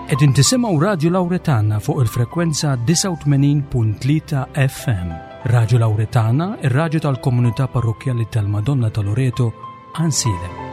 Qegħdin tisimgħu Radju Lawretana fuq il-frekwenza 89.3 FM. Radju Lawretana, ir-radju tal-komunità parrokkjali tal-Madonna ta' Loreto, Ansilem.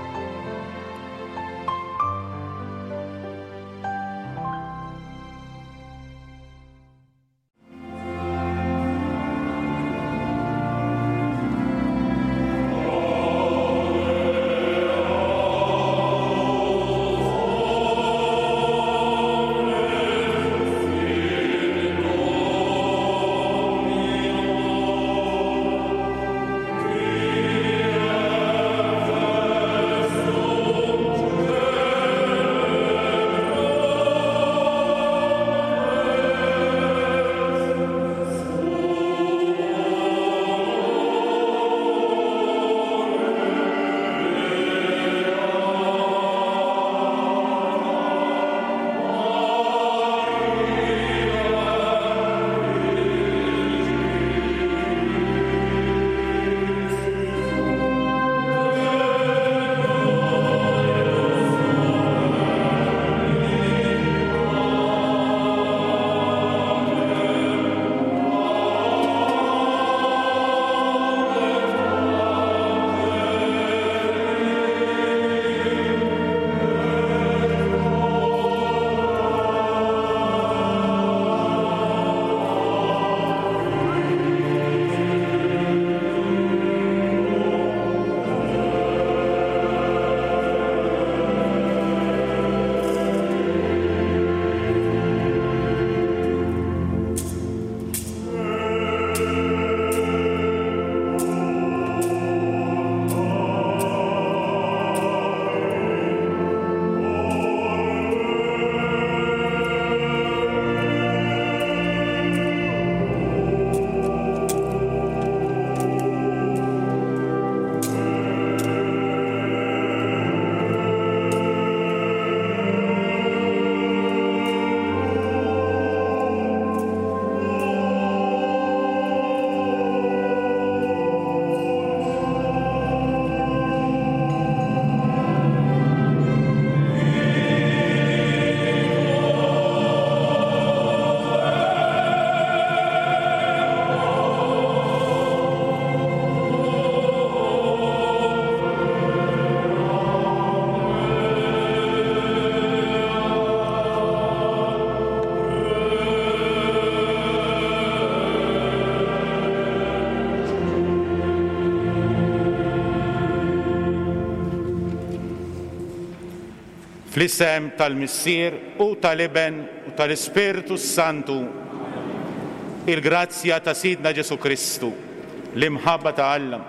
Fl-isem tal-Missier u tal-Iben u tal-Ispirtu s-Santu, il-grazzja ta' Sidna Ġesù Kristu, l-imħabba ta' Alla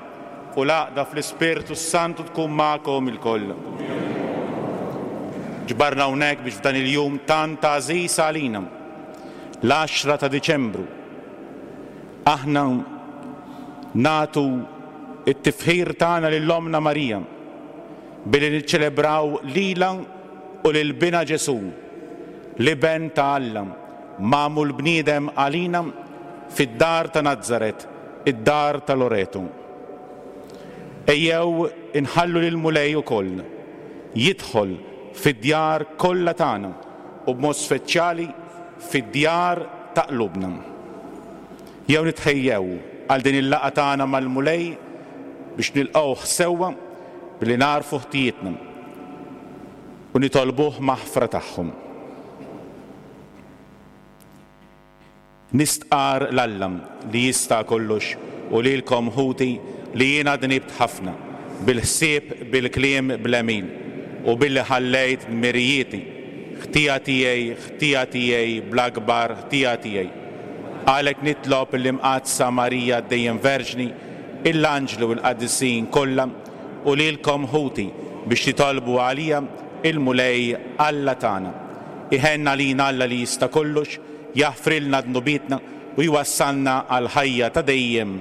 u l-għaqda fl-Ispirtu s-Santu tkun magħkom ilkoll. Ġbarna hawnhekk biex f'dan il-jum tant għażiż għalina, l-għaxra ta' Diċembru, aħna nagħtu t-tifħir tagħna lil Ommna Marija, billi niċċelebraw lilha u lil Binha Ġesù, l-Iben ta' Alla, magħmul bniedem għalina fid-dar ta' Nazaret, id-dar ta' Loreto. Ejjew inħallu lill-Mulej ukoll jidħol fid-djar kollha tagħna u b'mod speċjali fid-djar ta' qlubna. Jew nitħejjew għal din il-laqgħa tagħna mal-Mulej biex nilqgħuh sewwa billi nagħrfu ħtijietna u nitolbuh maħfra tagħhom. Nistqarr 'l Alla li jista' kollox u lilkom ħuti li jiena dnibt ħafna, bil-ħsieb, bil-kliem, bl-għemil, u billi ħallejt dmirijieti. Ħtija tiegħi, ħtija tiegħi, bl-akbar ħtija tiegħi. Għalhekk nitlob lill-Imqaddsa Marija dejjem Verġni, il-anġli u l-qaddisin kollha, u lilkom ħuti, biex titolbu għalija il-Mulej Alla tagħna. Iħenn għalina Alla li jista' kollox, jaħfrilna dnubietna u jwassalna għall-ħajja ta' dejjem.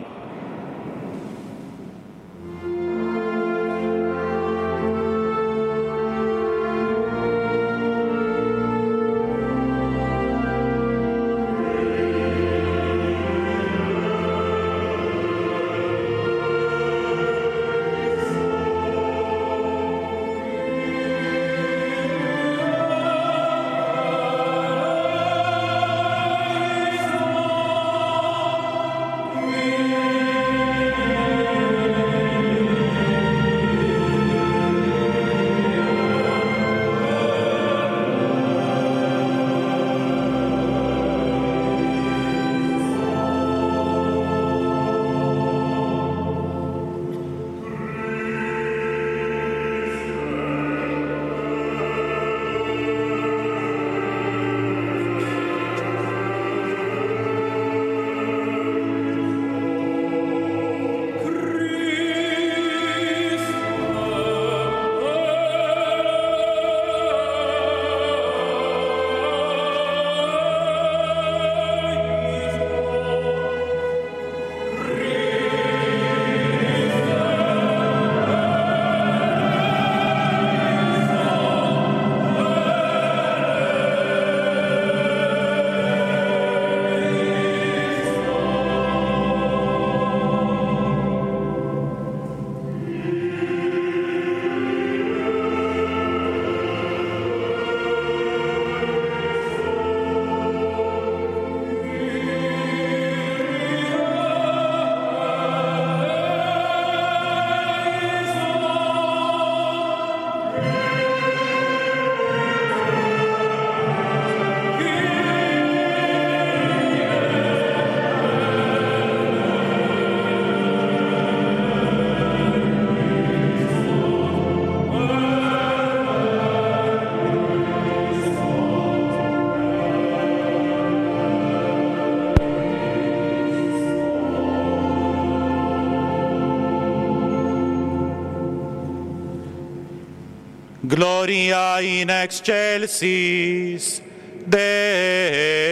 Gloria in excelsis Deo.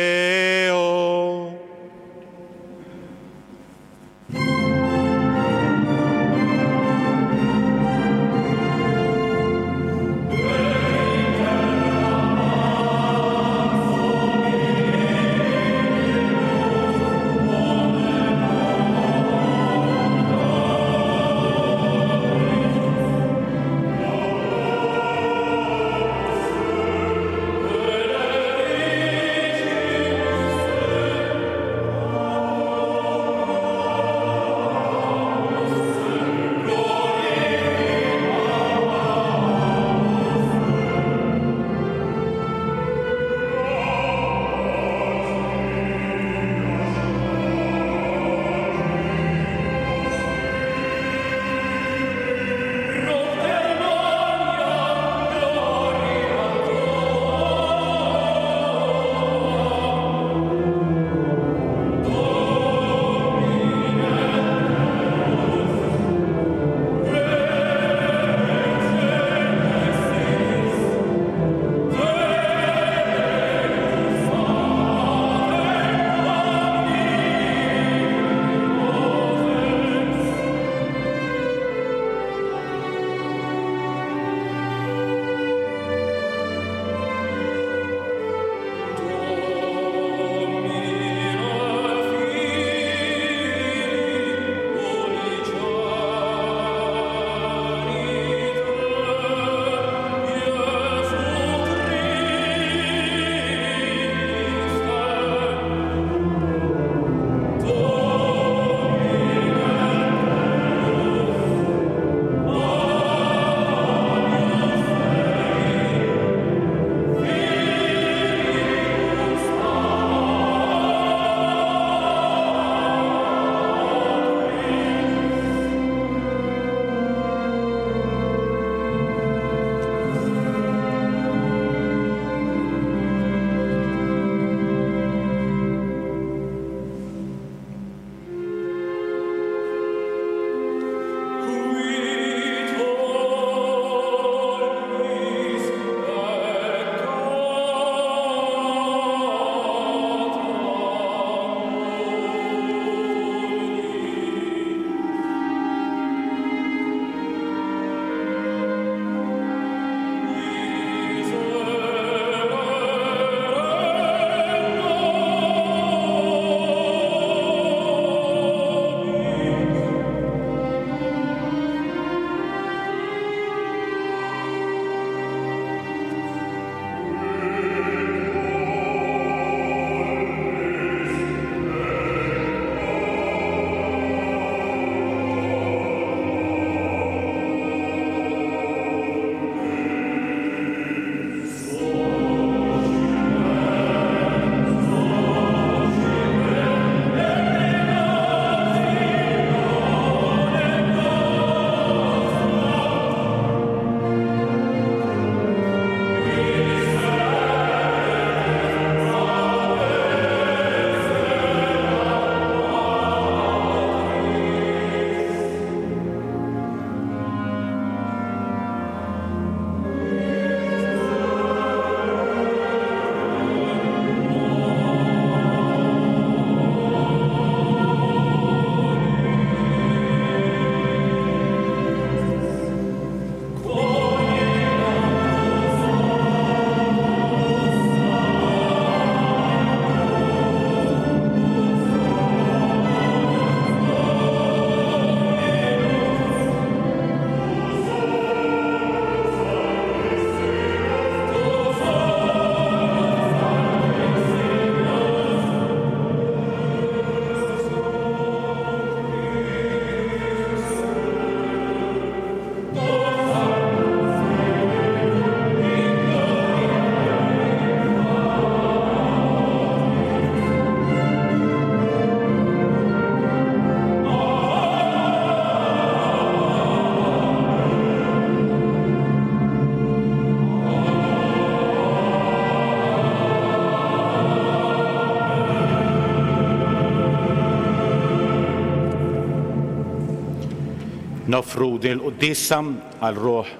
Noffru din il-quddiesa għal ruħ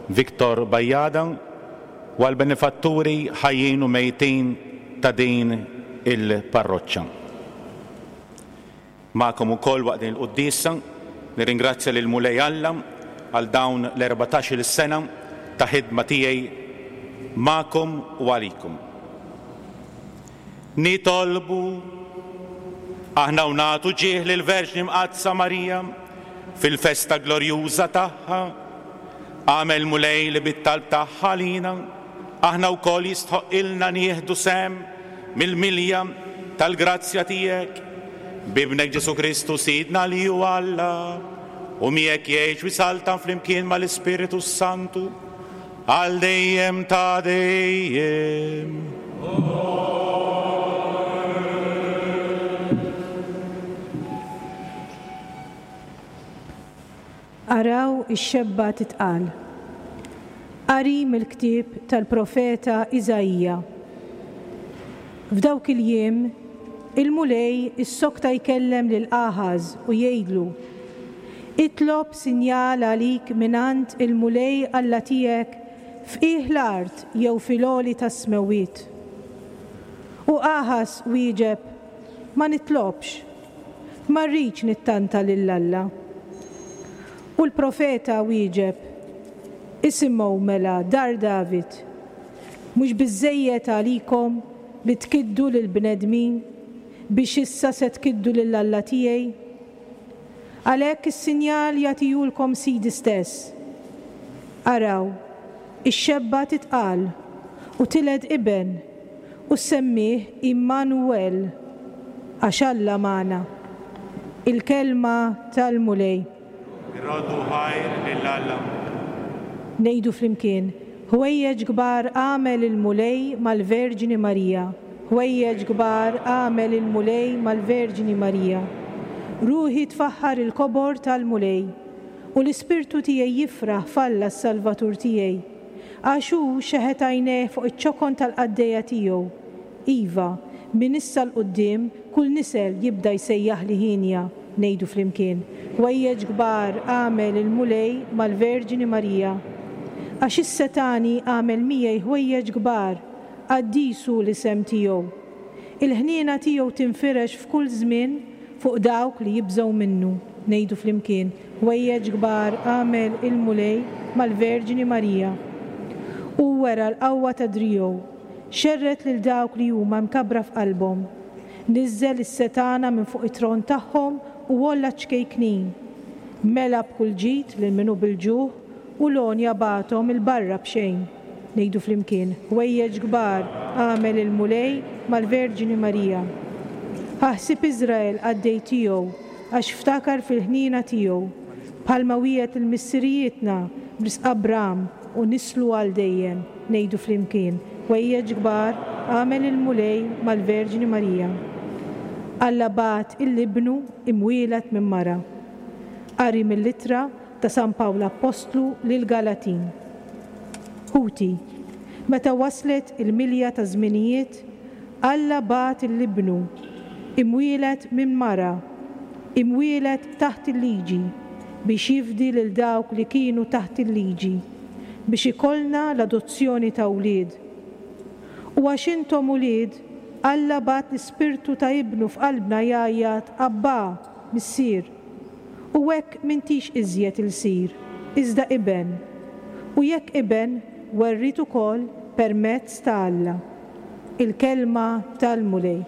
Victor Bajada u għall-benefatturi ħajjin u mejtin ta' din il-parroċċa. Magħkom ukoll waqt din il-quddiesa nirringrazzja lill-Mulej Alla għal dawn l-erbatax-il sena ta' ħidma tiegħi magħkom u għalikom. Nitolbu aħna u nagħtu ġieħ lill-Verġni Mqaddsa Marija fil-festa glorjuża tagħha, agħmel Mulej li bit-talb tagħha għalina aħna wkoll jistħoqqilna nieħdu sehem mill-milja tal-grazzja tiegħek, b'Ibnek Ġesù Kristu Sidna li hu Alla, u miegħek jgħix u jsaltan flimkien mal-Ispirtu s-Santu, għal dejjem ta' dejjem. Araw ix-xebba titqal. Qari mill-ktieb tal-profeta Iżaija. F'dawk il-jiem, il-Mulej issokta jkellem lil Aħaż u jgħidlu, Itlob sinjal għalik mingħand il-Mulej Alla tiegħek f'qiegħ l-art jew fil-għoli tas-smewwiet. U Aħaż wieġeb, Ma nitlobx. Ma rridx nittanta lil Alla. U l-profeta wieġeb, Isimgħu mela, dar David, mhux biżżejjed għalikom li tkiddu lill-bnedmin biex issa se tkiddu lil Alla tiegħi? Għalhekk is-sinjal jagħtihulkom Sidi stess. Araw, ix-xebba titqal u tiled iben, u ssemmih Għimmanu-El, għax Alla magħna. Il-Kelma tal-Mulej. Irroddu ħajr lil Alla. Ngħidu flimkien, Ħwejjeġ kbar għamel il-Mulej mal-Verġni Marija, ħwejjeġ kbar għamel il-Mulej mal-Verġni Marija. Ruħi tfaħħar il-kobor tal-Mulej, u l-ispirtu tiegħi jifraħ f'Alla s-Salvatur tiegħi. Għax hu xeħet għajnejh fuq iċ-ċokon tal-qaddejja tiegħu. Iva, minn issa 'l quddiem kull nisel jibda jsejjaħli hienja, ngħidu flimkien, Ħwejjeġ kbar għamel il-Mulej mal-Verġni Marija. Għax is-Setgħani għamel miegħi ħwejjeġ kbar, qaddis hu l-isem tiegħu. Il-ħniena tiegħu tinfirex f'kull żmien fuq dawk li jibżgħu minnu, ngħidu flimkien, Ħwejjeġ kbar għamel il-Mulej mal-Verġni Marija. Hu wera l-qawwa ta' driegħu, xerred lil dawk li huma mkabbra f'qalbhom. Niżżel is-setgħana minn fuq it-tron tagħhom u għolla ċ-ċkejknin. Mela b'kull ġid lil min hu bil-ġuħ u l-għonja bagħathom 'il barra b'xejn. Ngħidu flimkien, Ħwejjeġ kbar għamel il-Mulej mal-Verġni Marija. Ħa ħsieb Iżrael qaddej tiegħu, għax ftakar fil-ħniena tiegħu, bħalma wiegħed lil missirijietna b'risq Abram u nislu għal dejjem. Ngħidu flimkien, Ħwejjeġ kbar għamel il-Mulej mal-Verġni Marija. Alla bagħat 'il Ibnu imwieled minn mara. Qari mill-Ittra ta' San Pawl Appostlu lill-Galatin. Ħuti, meta waslet il-milja taż-żminijiet, Alla bagħat 'il Ibnu, imwieled minn mara, imwieled taħt il-liġi, biex jifdi lil dawk li kienu taħt il-liġi, biex ikollna l-adozzjoni ta' wlied. U għax intom ulied, Alla bagħat l-Ispirtu ta' Ibnu f'qalbna jgħajjat, Abbà, Missier. U hekk m'intix iżjed ilsir, iżda iben, u jekk iben, werriet ukoll permezz ta' Alla. Il-Kelma tal-Mulej.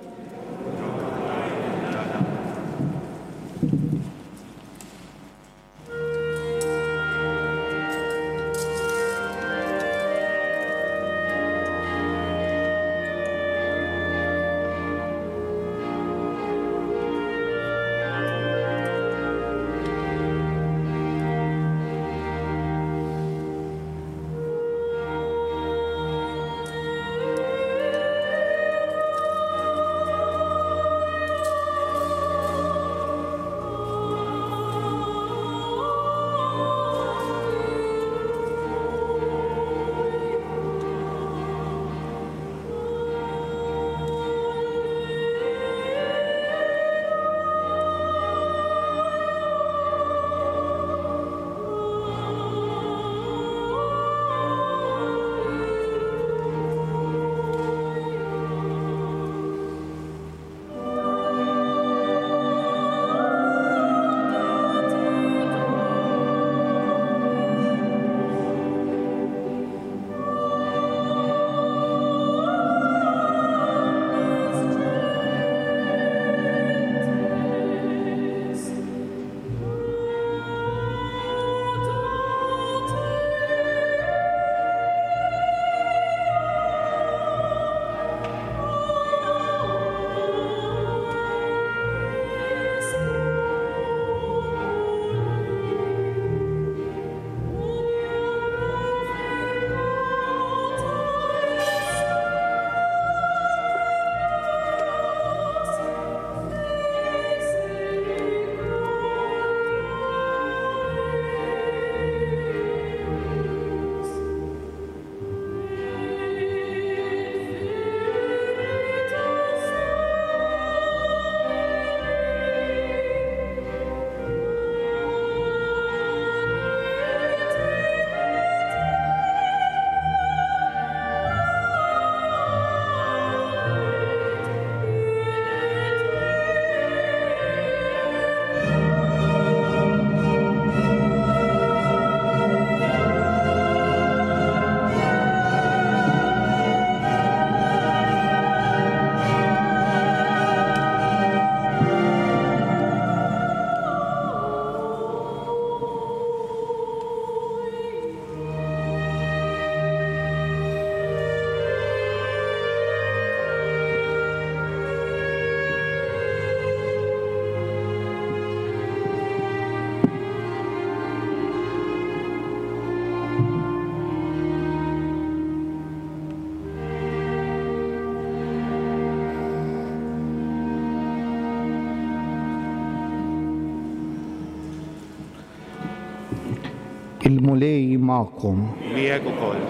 Il-Mulej magħkom. Miegħek ukoll.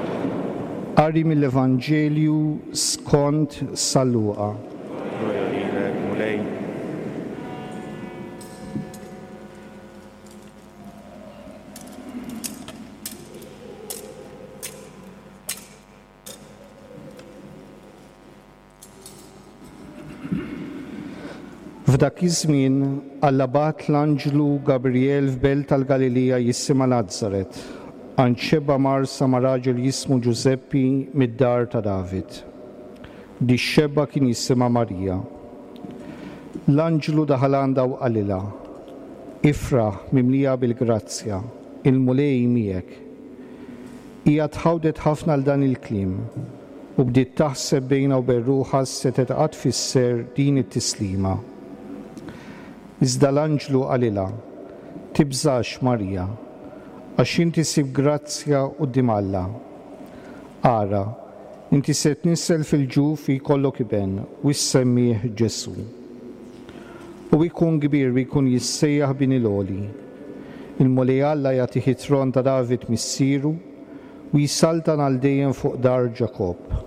Qari mill-Evanġelju skont San Luqa. Glorja lilek, Mulej. F'dak iż-żmien, Alla bagħat l-anġlu Gabriel f'belt tal-Galilija jisimha Nazaret, għand xebba mgħarrsa ma' raġel jismu Ġużeppi mid-dar ta' David. Dix-xebba kien jisimha Marija. L-anġlu daħal għandha u qalilha, Ifraħ, mimlija bil-grazzja, il-Mulej miegħek. Hija tħawdet ħafna għal dan il-kliem, u bdiet taħseb bejnha u bejn ruħha x'setgħet qatt tfisser din it-tislima. Iżda l-anġlu qalilha, Tibżax, Marija, għax inti sibt grazzja quddiem Alla. Ara, inti se tnissel fil-ġuf u jkollok iben, u ssemmih Ġesù. U ikun kbir u jkun jissejjaħ Bin il-Għoli. Il-Mulej Alla jagħtih it-tron ta' David missieru, u jsaltan għal dejjem fuq dar Ġakobb,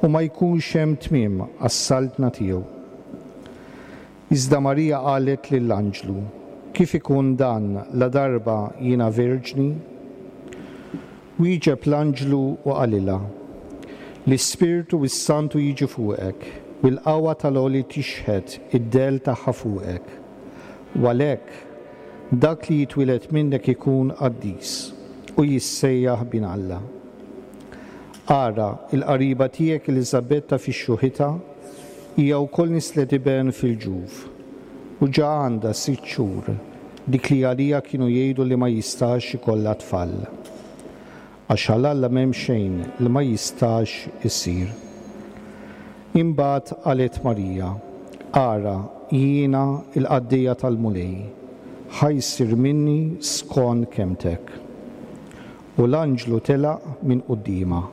u ma jkunx hemm tmiem għas-saltna tiegħu. Iżda Marija qalet lill-anġlu, Kif ikun dan ladarba jiena verġni? Wieġeb l-anġlu u qalilha, L-Ispirtu s-Santu jiġi fuqek, u l-qawwa tal-Għoli tixħet id-dell tagħha fuqek. U għalhekk, dak li jitwieled minnek ikun qaddis, u jissejjaħ Bin Alla. Ara, il-qariba tiegħek Eliżabetta fi xjuħitha, hija wkoll nislet iben fil-ġuf, u ġa għandha sitt xhur, dik li għaliha kienu jgħidu li ma jistax ikollha tfal. Għax għal Alla m'hemm xejn li ma jistax isir. Imbagħad qalet Marija, Ara, jiena l-qaddejja tal-Mulej, ħa jsir minni skont kelmtek. U l-anġlu telaq minn quddiemha.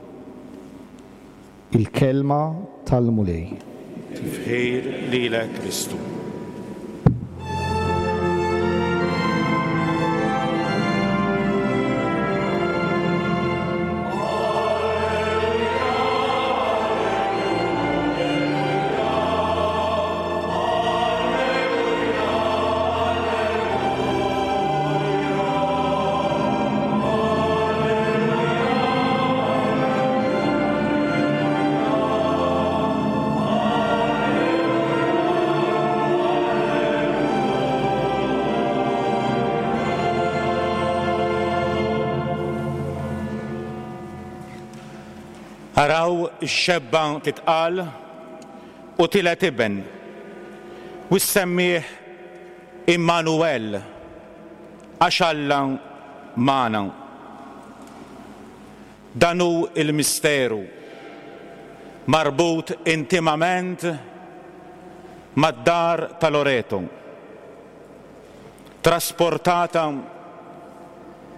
Il-Kelma tal-Mulej. Tifħir lilek Kristu. Araw ix-xebba titqal u tiled iben, u ssemmih Immanuel, għax Alla magħna. Dan hu l-misteru, marbut intimament mad-dar ta' Loreto, trasportata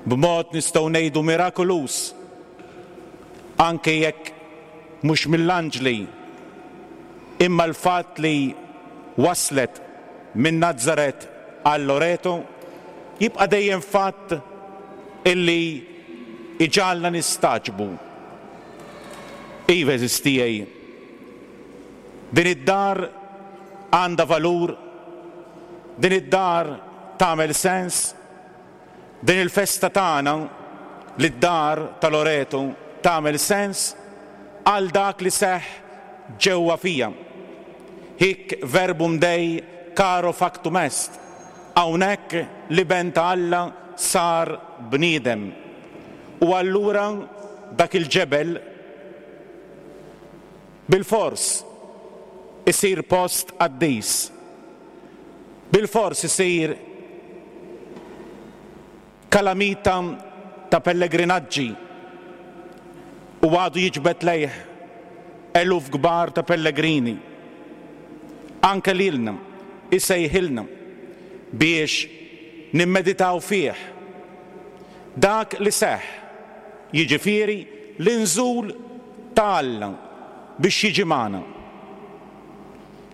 b'mod nistgħu ngħidu mirakoluż, anke jekk mhux mill-anġli, imma l-fatt li waslet minn Nazaret għal Loreto jibqa' dejjem fatt illi jġagħalna nistagħġbu. Iva għeżież tiegħi, din id-dar għandha valur, din id-dar tagħmel sens, Din il-festa tagħna lid-dar ta' Loreto tagħmel sens għal dak li seħħ ġewwa fija. Hic verbum Dei caro factum est, hawnhekk l-Iben ta' Alla sar bniedem. U allura dak il-ġebel bilfors isir post qaddis. Bilfors isir kalamita ta' pellegrinaġġi u għadu jiġbed lejh eluf kbar ta' pellegrini. Anke lilna isejħilna biex nimmeditaw fih dak li seħħ, jiġifieri l-inżul ta' Alla biex jiġi magħna.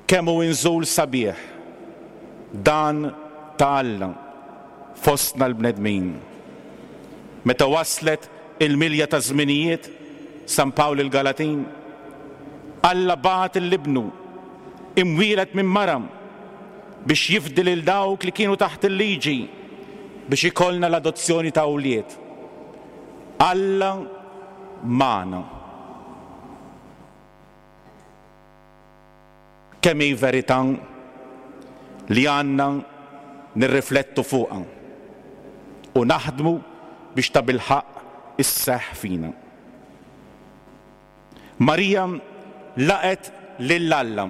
Kemm hu inżul sabiħ dan ta' Alla fostna l-bnedmin! Meta waslet il-milja taż-żminijiet, San Pawl lill-Galatin, Alla bagħat 'l Ibnu, imwieled minn mara, biex jifdi lil dawk li kienu taħt il-liġi, biex ikollna l-adozzjoni ta' wlied. Alla magħna. Kemm hi verità li għandna nirriflettu fuqha u naħdmu biex tabilħaqq isseħħ fina. Marija laqgħet lil Alla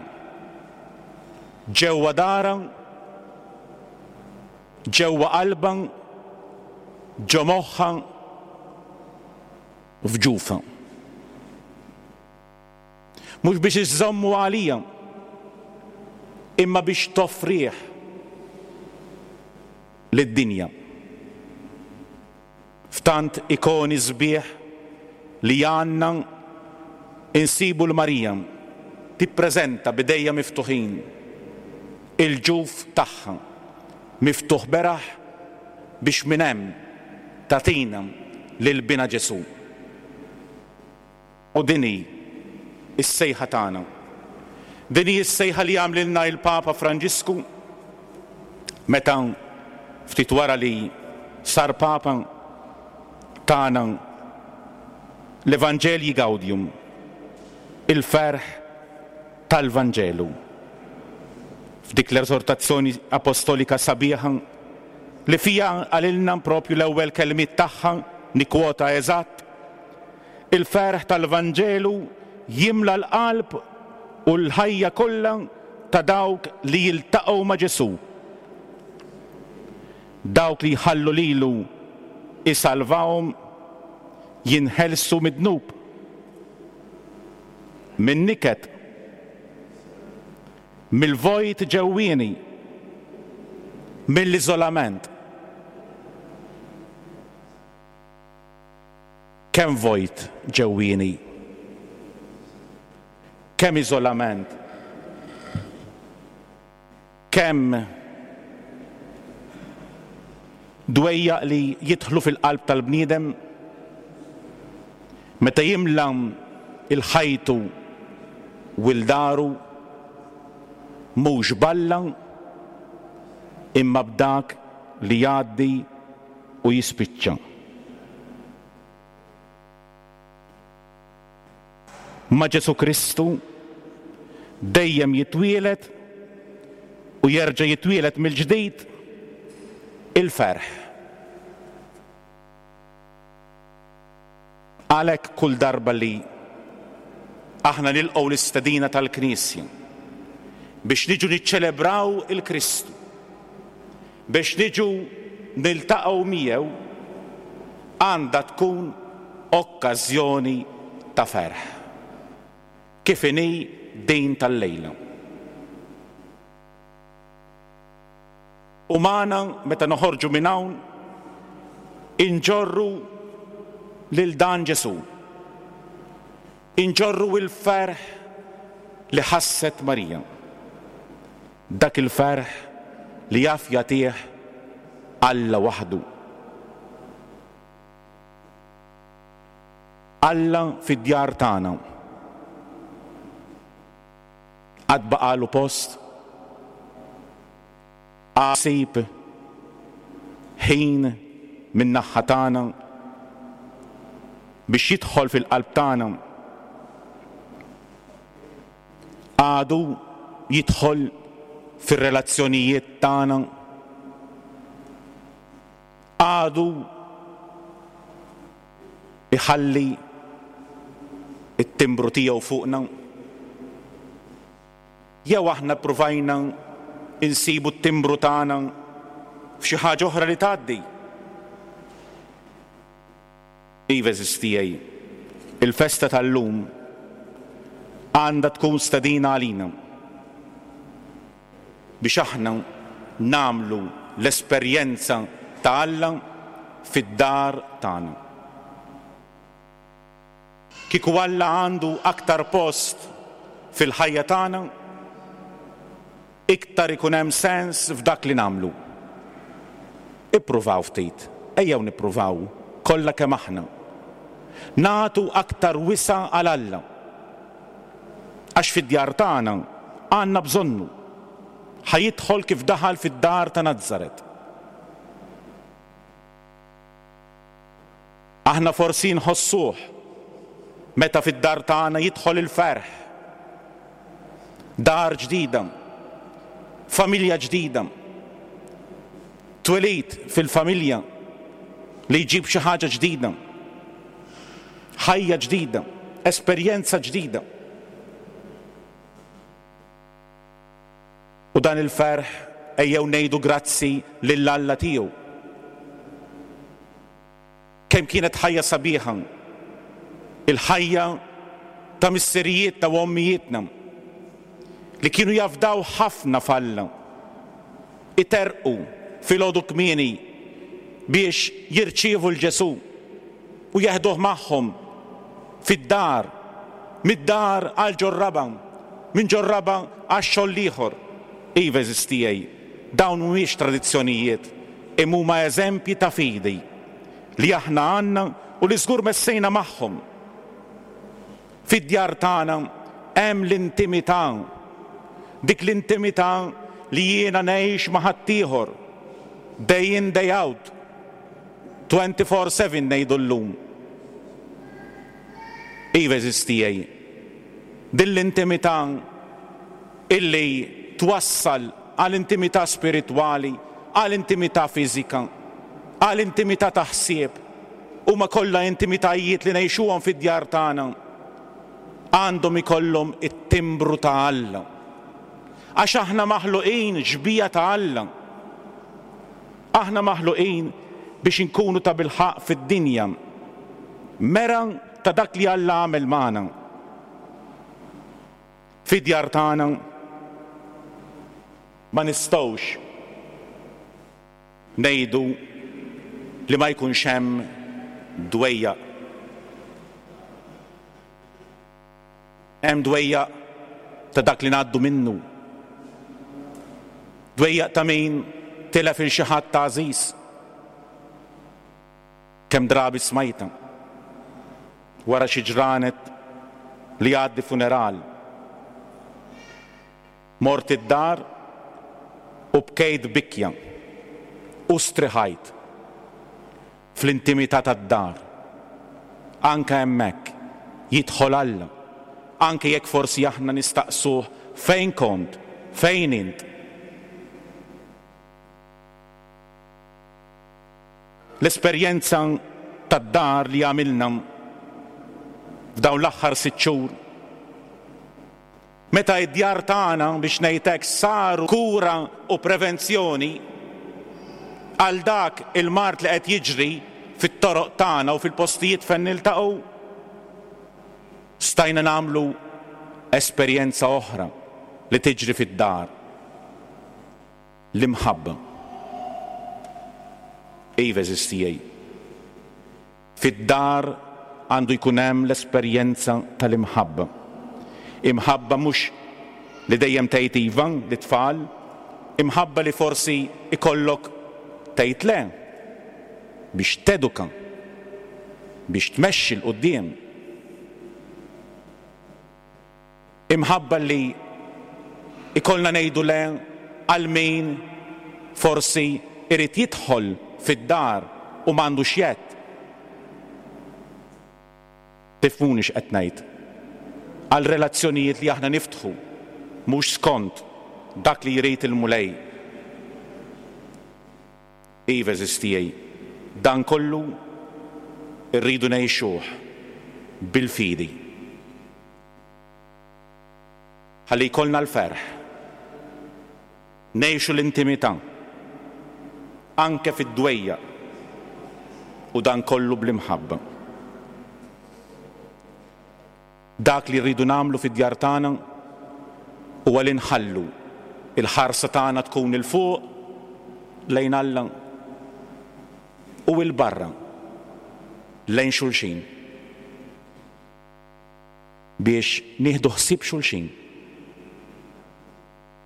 ġewwa darha, ġewwa qalbha, ġo moħħha, f'ġufha. Mhux biex iżżommu għalija, imma biex toffrih lid-dinja. F'tant ikoni sbieħ li għandna insibu 'l Marija tippreżenta b'idejha miftuħin il-ġuf tagħha miftuħ beraħ biex minn hemm tagħtina lil Binha Ġesù. U din hi s-sejħa tagħna. Din hi s-sejħa li għamlilna il-Papa Franġisku meta ftit wara li sar Papa tana l-Evangelii Gaudium, il-ferħ tal-Vanġelu. F'dik l-eżortazzjoni apostolika sabiħa li fiha qalilna propju l-ewwel kelmiet tagħha, nikkwota eżatt, Il-ferħ tal-Vanġelu jimla l-qalb u l-ħajja kollha ta' dawk li jiltaqgħu ma' Ġesù. Dawk li jħallu lilu jsalvahom jinħelsu mid-dnub, min-niket, mill-vojt ġewwieni, mill-iżolament. Kemm vojt ġewwieni. Kemm iżolament. Kemm dwejjaq li jidħlu fil-qalb tal-bniedem meta jimla 'l ħajtu u 'l daru mhux b'Alla imma b'dak li jgħaddi u jispiċċa. Ma' Ġesù Kristu dejjem jitwieled u jerġa' jitwieled mill-ġdid il-ferħ. Għalhekk kull darba li aħna nilqgħu l-istedina tal-Knisja biex niġu niċċelebraw il-Kristu, biex niġu niltaqgħu miegħu, għandha tkun okkażjoni ta' ferħ, kif inhi din tal-lejla. U magħna meta noħorġu minn hawn inġorru lil dan Ġesù. Inġorru l-ferħ li ħasset Marija. Dak il-ferħ li jaf jagħtih Alla waħdu. Alla fid-djar tagħna. Għad baqagħlu post? Għad isib ħin min-naħha tagħna biex jidħol fil-qalb tagħna? Għadu jidħol fir-relazzjonijiet tagħna? Għadu jħalli t-timbru tiegħu fuqna? Jew aħna ppruvajna nsibu t-timbru tagħna f'xi ħaġa oħra li tgħaddi? Iva, għeżież tiegħi, il-festa tal-lum għandha tkun stedina għalina biex aħna nagħmlu l-esperjenza ta' Alla fid-dar tagħna. Kieku Alla għandu aktar post fil-ħajja tagħna, iktar ikun hemm sens f'dak li nagħmlu. Ippruvaw ftit, ejjew nippruvaw. kollha kemm aħna, nagħtu aktar wisa' għal Alla. Għax fid-djar tagħna għandna bżonnu. Ħa jidħol kif daħal fid-dar ta' Nazaret. Aħna forsi nħossuh meta fid-dar tagħna jidħol il-ferħ. Dar ġdida, familja ġdida, twelid fil-familja li jġib xi ħaġa ġdida, ħajja ġdida, esperjenza ġdida. U dan il-ferħ ejjew ngħidu grazzi lil Alla tiegħu. Kemm kienet ħajja sabiħa il-ħajja ta' missirijietna u ommijietna li kienu jafdaw ħafna f'Alla, iterrqu filgħodu kmieni biex jirċievu 'l Ġesù u jeħduh magħhom fid-dar, mid-dar għal ġor-raba', minn ġor-raba' għax-xogħol l-ieħor. Iva, għeżież tiegħi, dawn mhumiex tradizzjonijiet, imma huma eżempji ta' fidi li aħna għandna u li żgur messejna magħhom. Fid-djar tagħna hemm l-intimità, dik l-intimità li jiena ngħix ma' ħaddieħor, day in day out, 24/7 ngħidu llum. Iva għeżież tiegħi, din l-intimità illi twassal għal intimità spiritwali, għal intimità fiżika, għal intimità ta' ħsieb, huma kollha intimitajiet li ngħixuhom fid-djar tagħna, għandhom ikollhom it-timbru ta' Alla. Għax aħna maħluqin xbieha ta' Alla. Aħna maħluqin biex inkunu tabilħaqq fid-dinja mera ta' dak li Alla għamel magħna. Fid-djar tagħna ma nistgħux ngħidu li ma jkunx hemm dwejjaq. Hemm dwejjaq ta' dak li ngħaddu minnu. Dwejjaq ta' min tilef 'il xi ħadd għażiż. Kemm drabi smajtha wara xi ġranet li jgħaddi funeral. Mort id-dar u bkejt bikja u striħajt fl-intimità tad-dar. Anke hemmhekk jidħol Alla, anke jekk forsi aħna nistaqsuh fejn kont, fejn int? L-esperjenza tad-dar li għamilna f'dawn l-aħħar sitt xhur, meta d-djar tagħna, biex ngħid hekk, saru kura u prevenzjoni għal dak il-mard li qed jiġri fit-toroq tagħna u fil-postijiet fejn niltaqgħu, stajna nagħmlu esperjenza oħra li tiġri fid-dar. L-imħabba. Iva, għeżież tiegħi. Fid-dar għandu jkun hemm l-esperjenza tal-imħabba. Imħabba mhux li dejjem tgħid iva lit-tfal, imħabba li forsi jkollok tgħid le biex teduka, biex tmexxi 'l quddiem. Imħabba li jkollna ngħidu le għal min forsi jrid jidħol fid-dar u m'għandux jedd. Tifhmuni x'qed ngħid. Għal relazzjonijiet li aħna niftħu mhux skont dak li jrid il-Mulej. Iva, għeżież tiegħi, dan kollu rridu ngħixuh bil-fidi. Ħalli jkollna l-ferħ. Ngħixu l-intimità, anke fid-dwejjaq, u dan kollu bl-imħabba. Dak li rridu nagħmlu fid-djar tagħna huwa li nħallu l-ħarsa tagħna tkun 'il fuq lejn Alla u 'il barra lejn xulxin. Biex nieħdu ħsieb xulxin.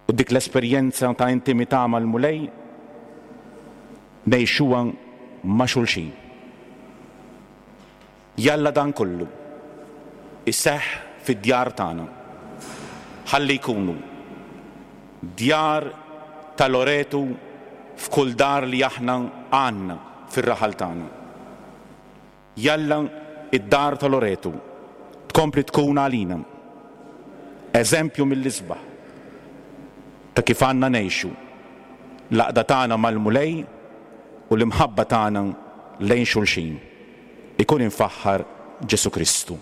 U dik l-esperjenza ta' intimità mal-Mulej ngħixuha ma' xulxin. Jalla dan kollu jseħħ fid-djar tagħna ħalli jkunu djar ta' Loretu f'kull dar li aħna għandna fir-raħal tagħna. Jalla d-dar ta' Loretu tkompli tkun għalina eżempju mill-isbaħ ta' kif għandna ngħixu l-għaqda tagħna mal-Mulej u l-imħabba tagħna lejn xulxin. Ikun imfaħħar Ġesù Kristu.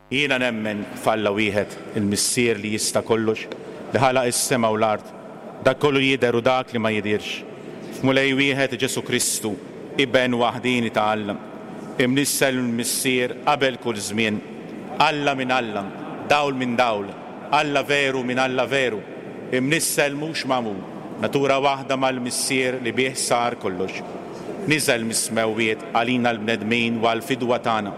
Jiena nemmen f'Alla wieħed, il-Missier li jista' kollox, li ħalaq is-sema u l-art, dak kollu li jidher u dak li ma jidhirx, f'Mulej wieħed Ġesù Kristu, Iben waħdieni ta' Alla, imnissel mill-Missier qabel kull żmien, Alla minn Alla, dawl minn dawl, Alla veru minn Alla veru, imnissel mhux magħmul, natura waħda mal-Missier li bih sar kollox. Niżel mis-smewwiet għalina l-bnedmin u għall-fidwa tagħna,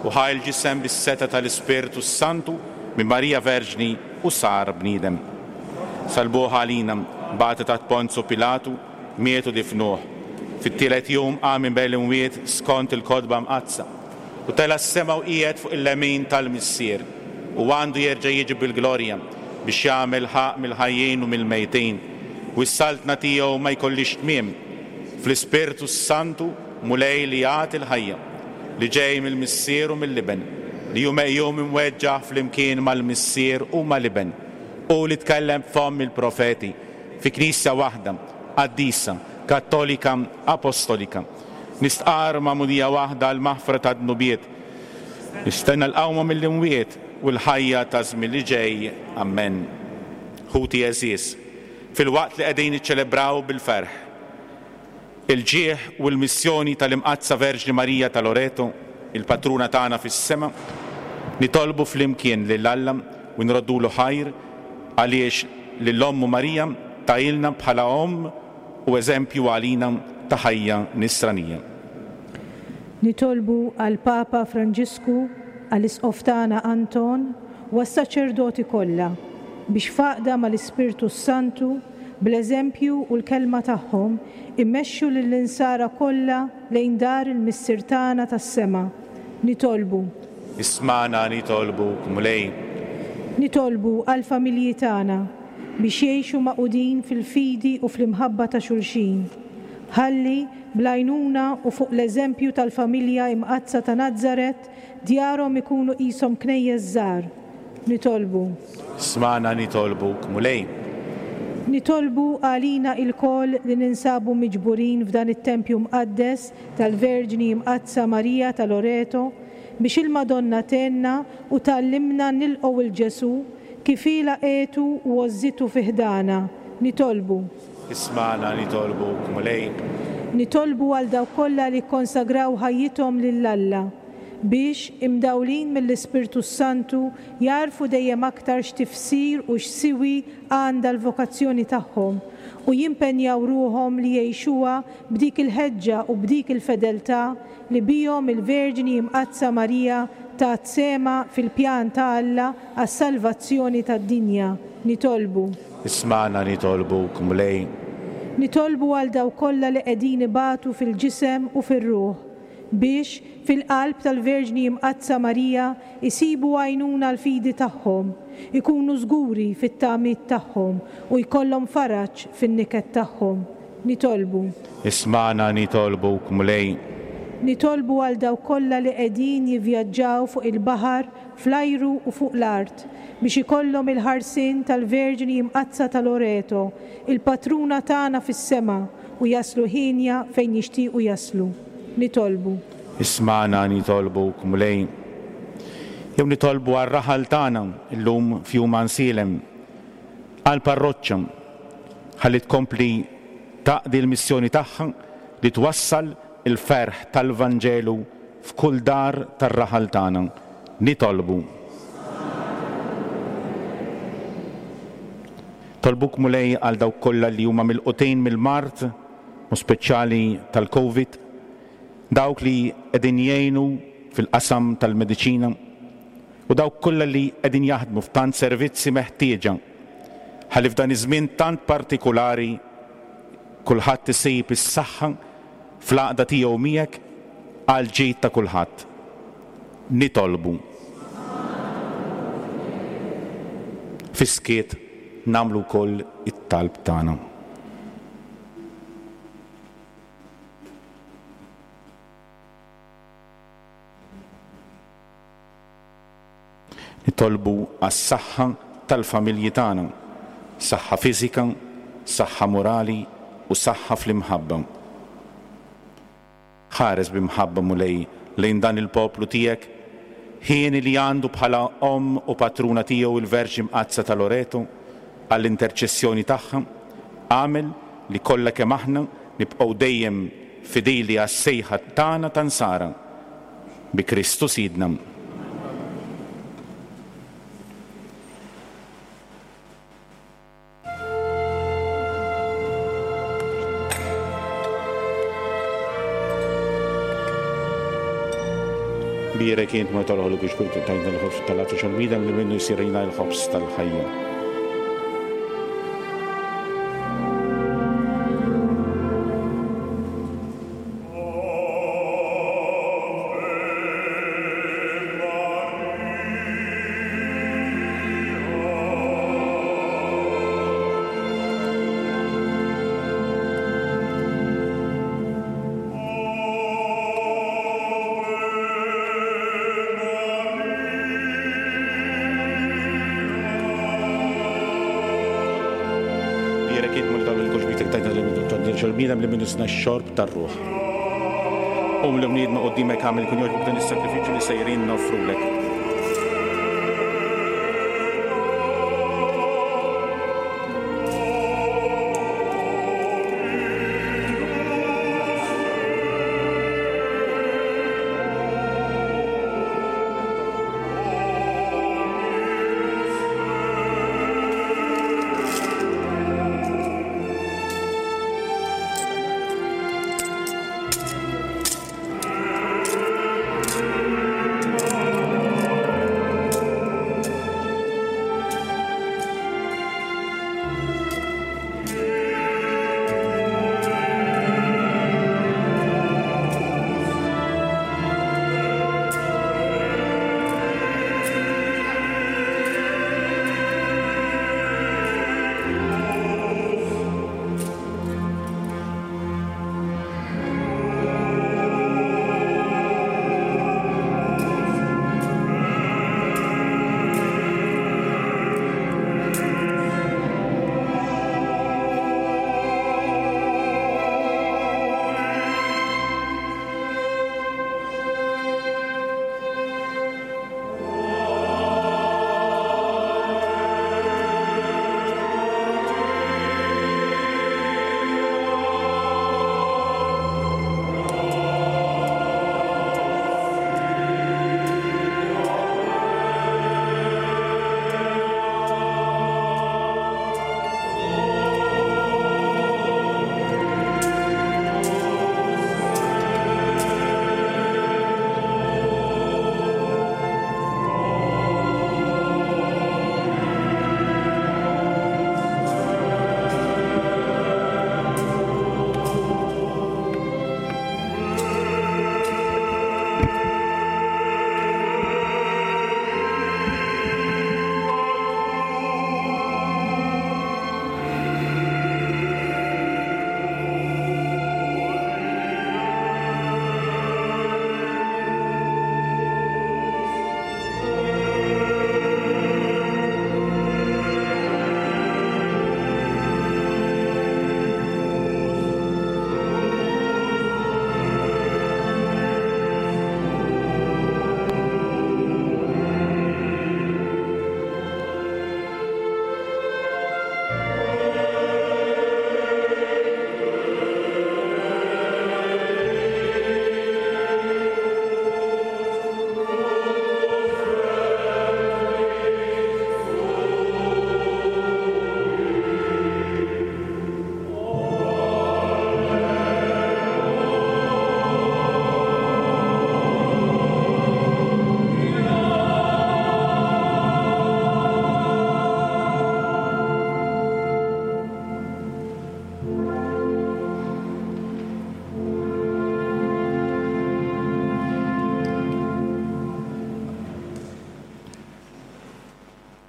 u ħa l-ġisem bis-setgħa tal-Ispirtu s-Santu minn Marija Verġni u sar bniedem. Salbuh għalina, bagħtu taħt Ponzu Pilatu, miet u difnuh. Fit-tielet jum qam minn bejn l-imwiet skont il-Kotba Mqaddsa, u tela' s-sema u qiegħed fuq il-lemin tal-Missier, u għandu jerġa' jiġi bil-glorja biex jagħmel ħaqq mill-ħajjin u mill-mejtin, u s-saltna tiegħu ma jkollhiex tmiem. Fl-Ispirtu s-Santu, Mulej li jagħti l-ħajja, li ġej mill-Missier u mill-Iben, li hu meqjum imweġġaħ flimkien mal-Missier u mal-Iben, hu li tkellem b'fomm il-profeti, fi Knisja waħda, qaddisa, kattolika, apostolika. Nistqarr magħmudija waħda għall-maħfra tad-dnubiet. Nistenna l-qawma mill-imwiet u l-ħajja taż-żmien li ġej. Ammen. Ħuti għeżież, filwaqt li qegħdin niċċelebraw bil-ferħ il-ġieħ u l-missjoni tal-Imqaddsa Verġni Marija ta' Loreto, il-Patruna tagħna fis-sema, nitolbu flimkien lil Alla u nroddulu ħajr għaliex lil Ommu Marija tahielna bħala Omm u eżempju għalina ta' ħajja nisranija. Nitolbu għall-Papa Franġisku, għall-Isqof tagħna Anton u għas-saċerdoti kollha biex f'għaqda mal-Ispirtu s-Santu, bl-eżempju u l-kelma tagħhom, imexxu lill-insara kollha lejn dar il-Missier tagħna tas-sema. Nitolbu. Ismagħna nitolbuk, Mulej. Nitolbu għall-familji tagħna biex jgħixu magħqudin fil-fidi u fl-imħabba ta' xulxin. Ħalli, bl-għajnuna u fuq l-eżempju tal-familja Imqaddsa ta' Nazaret, djarhom ikunu qishom knejjes żgħar. Nitolbu. Smagħna nitolbuk, Mulej. Nitolbu għalina ilkoll li ninsabu miġburin f'dan it-tempju mqaddes tal-Verġni Imqaddsa Marija ta' Loreto biex il-Madonna tgħinna u tgħallimna nilqgħu 'l Ġesù kif hi laqgħetu u għożżitu fi ħdanha. Nitolbu. Ismagħna nitolbuk, Mulej. Nitolbu għal dawk kollha li kkonsagraw ħajjithom lil Alla, biex, imdawlin mill-Ispirtu s-Santu, jagħrfu dejjem aktar x'tifsir u x'siwi għandha l-vokazzjoni tagħhom u jimpenjaw ruħhom li jgħixuha b'dik il-ħeġġa u b'dik il-fedeltà li bihom il-Verġni Imqaddsa Marija tat sehemha fil-pjan ta' Alla għas-salvazzjoni tad-dinja. Nitolbu. Ismagħna nitolbuk, Mulej. Nitolbu għal dawk kollha li qegħdin ibatu fil-ġisem u fir-ruħ, biex, fil-qalb tal-Verġni Imqaddsa Marija, isibu għajnuna għall-fidi tagħhom, ikunu żguri fit-tamiet tagħhom u jkollhom faraġ fin-niket tagħhom. Nitolbu. Ismagħna nitolbuk, Mulej. Nitolbu għal dawk kollha li qegħdin jivvjaġġaw fuq il-baħar, fl-ajru u fuq l-art, biex ikollhom il-ħarsien tal-Verġni Imqaddsa ta' Loreto, il-Patruna tagħna fis-sema, u jaslu hienja fejn jixtiequ jaslu. Nitolbu. Ismagħna nitolbuk, Mulej. Jew nitolbu għar-raħal tagħna llum f'Jum Għansielem, għall-parroċċa, ħalli tkompli taqdi l-missjoni tagħha li twassal il-ferħ tal-Vanġelu f'kull dar tar-raħal tagħna. Nitolbu. Nitolbuk Mulej għal dawk kollha li huma milqutin mill-mard. u speċjali tal-Covid, dawk li qegħdin jgħinu fil-qasam tal-mediċina u dawk kollha li qegħdin jaħdmu f'tant servizzi meħtieġa ħalli f'dan iż-żmien tant partikulari kulħadd isib is-saħħa fl-għaqda tiegħu miegħek għall-ġid ta' kulħadd. Nitolbu. Fis-skiet nagħmlu wkoll it-talb tagħna. Nitolbu għas-saħħa tal-familji tagħna, saħħa fiżika, saħħa morali u saħħa fl-imħabba. Ħares bi mħabba, Mulej, lejn dan il-poplu tiegħek, hieni li għandu bħala Omm u Patruna tiegħu il-Verġni Mqaddsa ta' Loreto, għall-interċessjoni tagħha, agħmel li kollha kemm aħna nibqgħu dejjem fidili għas-sejħa tagħna ta' Nsara. Bi Kristu Sidna. Bierek int ma tal-ħolok biex kull tajna l-ħobż tal-għatax għal-bniedem li minnu jsir lina l-ħobż tal-ħajja. Bniedem li minnu sna x-xorb tar-ruħ. Qum l-bniedma quddiemek agħmel ikun jogħġbok dan is-sagrifiċċju li sejrin noffrulek.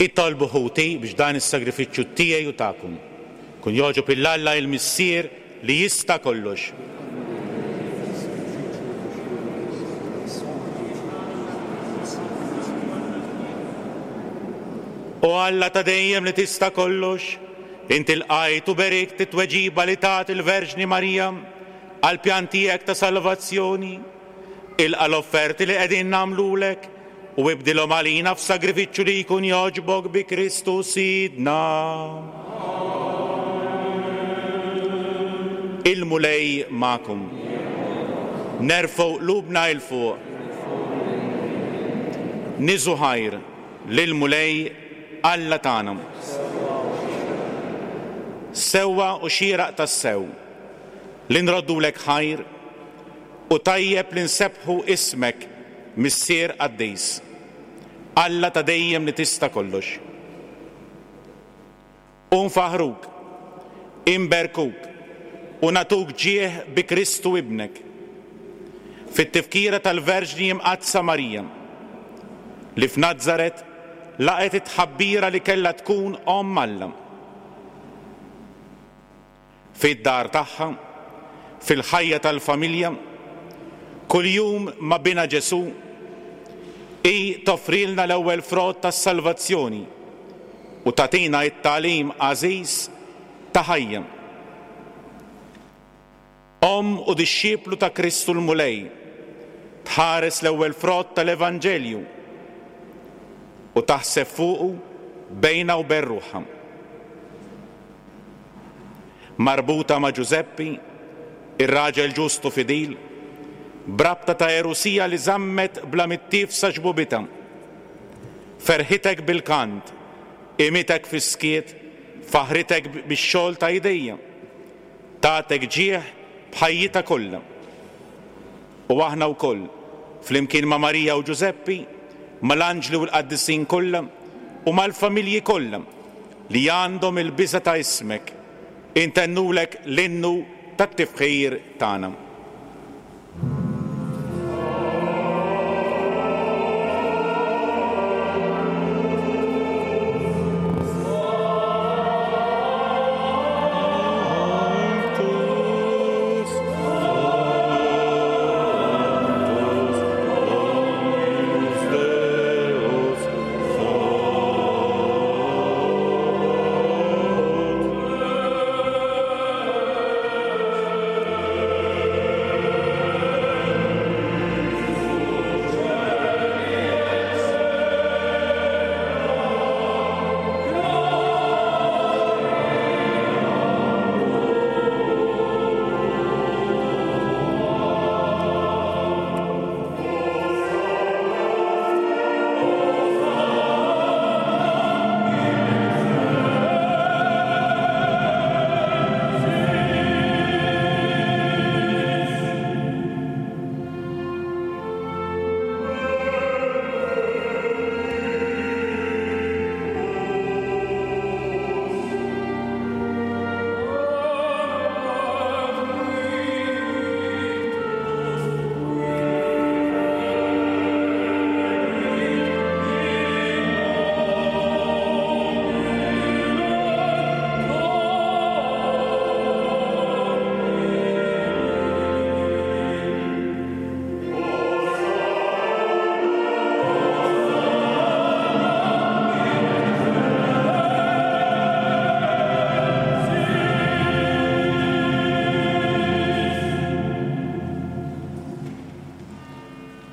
Itolbu ħuti biex dan is-sagrifiċċju tiegħi u tagħkom ikun jogħġob 'il Alla il-Missier li jista' kollox. O Alla ta' dejjem li tista' kollox, inti lqajt u berikt it-tweġiba li tat il-Verġni Marija għall-pjan tiegħek ta' salvazzjoni. Ilqa' l-offerti li qegħdin nagħmlulek u ibdilhom għalina f'sagrifiċċju li jkun jogħġbok bi Kristu Sidna. Il-Mulej magħkom. Nerfgħu qlubna 'il fuq. Niżu ħajr lill-Mulej Alla tagħna. Sewwa u xieraq tassew li nroddulek ħajr u tajjeb li nsebbħu ismek Missier qaddis, Alla ta' dejjem li tista' kollox. U nfaħħruk, inberkuk u nagħtuk ġieħ bi Kristu Ibnek, fit-tifkira tal-Verġni Imqaddsa Marija, li f'Nazaret laqgħet it-tħabbira li kellha tkun Omm Alla. Fid-dar tagħha, fil-ħajja tal-familja, kuljum ma' Binha Ġesù, hi toffrilna l-ewwel frott tas-salvazzjoni u tagħtina t-tagħlim għażiż ta' ħajja. Omm u dixxiplu ta' Kristu l-Mulej, tħares l-ewwel frott tal-Evanġelju u taħseb fuqu bejnha u bejn ruħha. Marbuta ma' Ġużeppi, ir-raġel ġust u fidil, b'rabta ta' għerusija li żammet bla mittiefsa xbubitha. Ferħitek bil-kant, qimitek fis-skiet, faħħritek bix-xogħol ta' idejha. Tagħtek ġieħ b'ħajjitha kollha. U aħna wkoll, flimkien ma' Marija u Ġużeppi, mal-anġli u l-qaddisin kollha, u mal-familji kollha li għandhom il-biża' ta' ismek, intennulek l-innu tat-tifħir tagħna.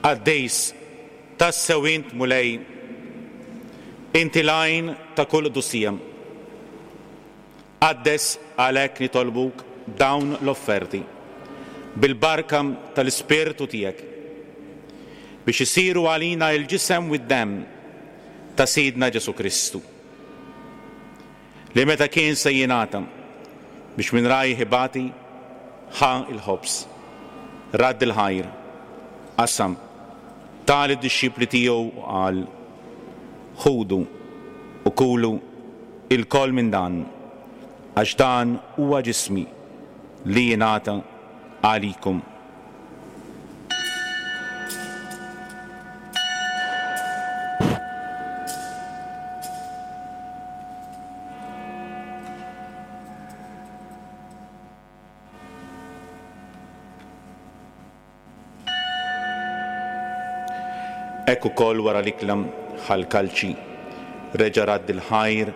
Qaddis, tassew int Mulej, inti l-għajn ta' kull qdusija. Qaddes għalhekk nitolbuk dawn l-offerti, bil-barka tal-Ispirtu tiegħek, biex isiru għalina l-ġisem u d-demm ta' Sidna Ġesù Kristu, li meta kien se jingħata biex minn rajh ibati, ħa l-ħobż, radd il-ħajr, qasam, ta lid-dixxipli tiegħu u qal, Ħudu u kulu ilkoll minn dan, għax dan huwa ġismi li jingħata għalikom. Hekk ukoll wara l-ikla ħa l-kalċi, reġa' radd il-ħajr,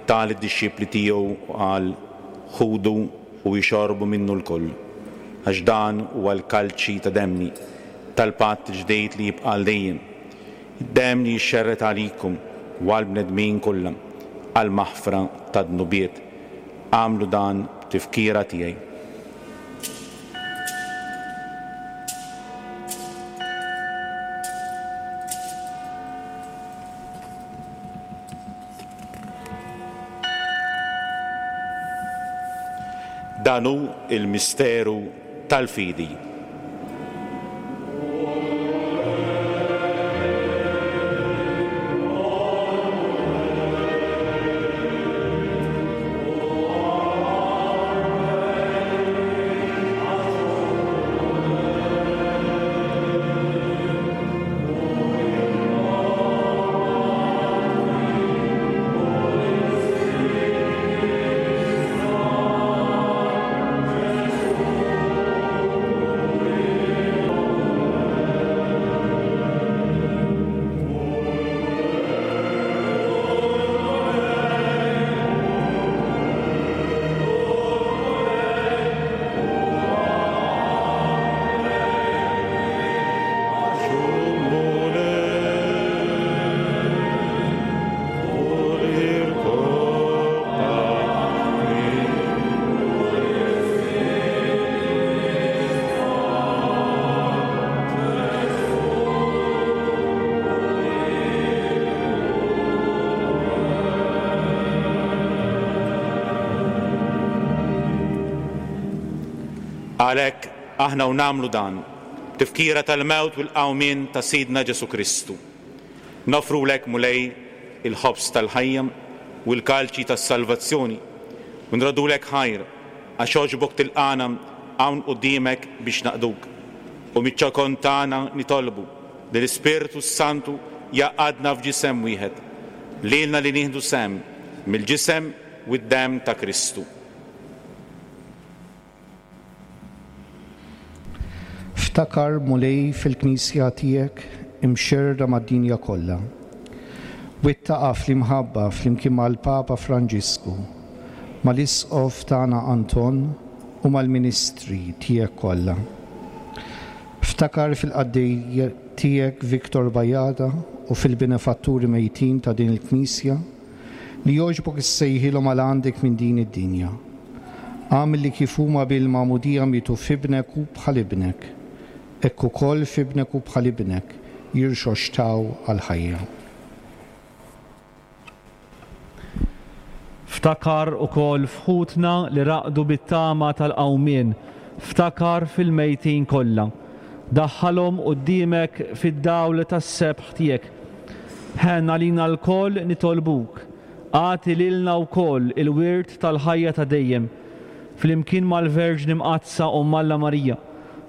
ta lid-dixxipli tiegħu u qal, Ħudu u ixorbu minnu lkoll, għax dan huwa l-kalċi ta' demmi, tal-patt il-ġdid li jibqa' għal dejjem, id-demm li jixxerred għalikom u għall-bnedmin kollha għall-maħfra tad-dnubiet. Agħmlu dan b'tifkira tiegħi. Dan hu l-misteru tal-fidi. Għalhekk, aħna u nagħmlu dan, b'tifkira tal-mewt u l-qawmien ta' Sidna Ġesù Kristu, noffrulek, Mulej, il-ħobż tal-ħajja u l-kalċi tas-salvazzjoni, u nroddulek ħajr għax għoġbok tilqagħna hawn quddiemek biex naqduk. U miċ-ċokon tagħna nitolbu li l-Ispirtu s-Santu jgħaqqadna f'ġisem wieħed, lilna li nieħdu sehem mill-ġisem u d-demm ta' Kristu. Ftakar, Mulej, fil-Knisja tiegħek imxerrda mad-dinja kollha. Wettaqha fl-imħabba flimkien mal-Papa Franġisku, mal-Isqof tagħna Anton u mal-ministri tiegħek kollha. Ftakar fil-qaddej tiegħek Victor Bajada u fil-benefatturi mejtin ta' din il-Knisja li jogħġbok issejħilhom għal għandek minn din id-dinja. Agħmel li kif huma bil-magħmudija mietu f'Ibnek u bħal Ibnek, hekk ukoll f'Ibnek u bħal Ibnek jirxoxtaw għall-ħajja. Ftakar ukoll f'ħutna li raqdu bit-tama tal-qawmien, ftakar fil-mejtin kollha. Daħħalhom quddiemek fid-dawl tas-sebħ tiegħek. Ħenn għalina lkoll nitolbuk, agħti lilna wkoll il-wirt tal-ħajja ta' dejjem, flimkien mal-Verġni Mqaddsa Omm Alla Marija,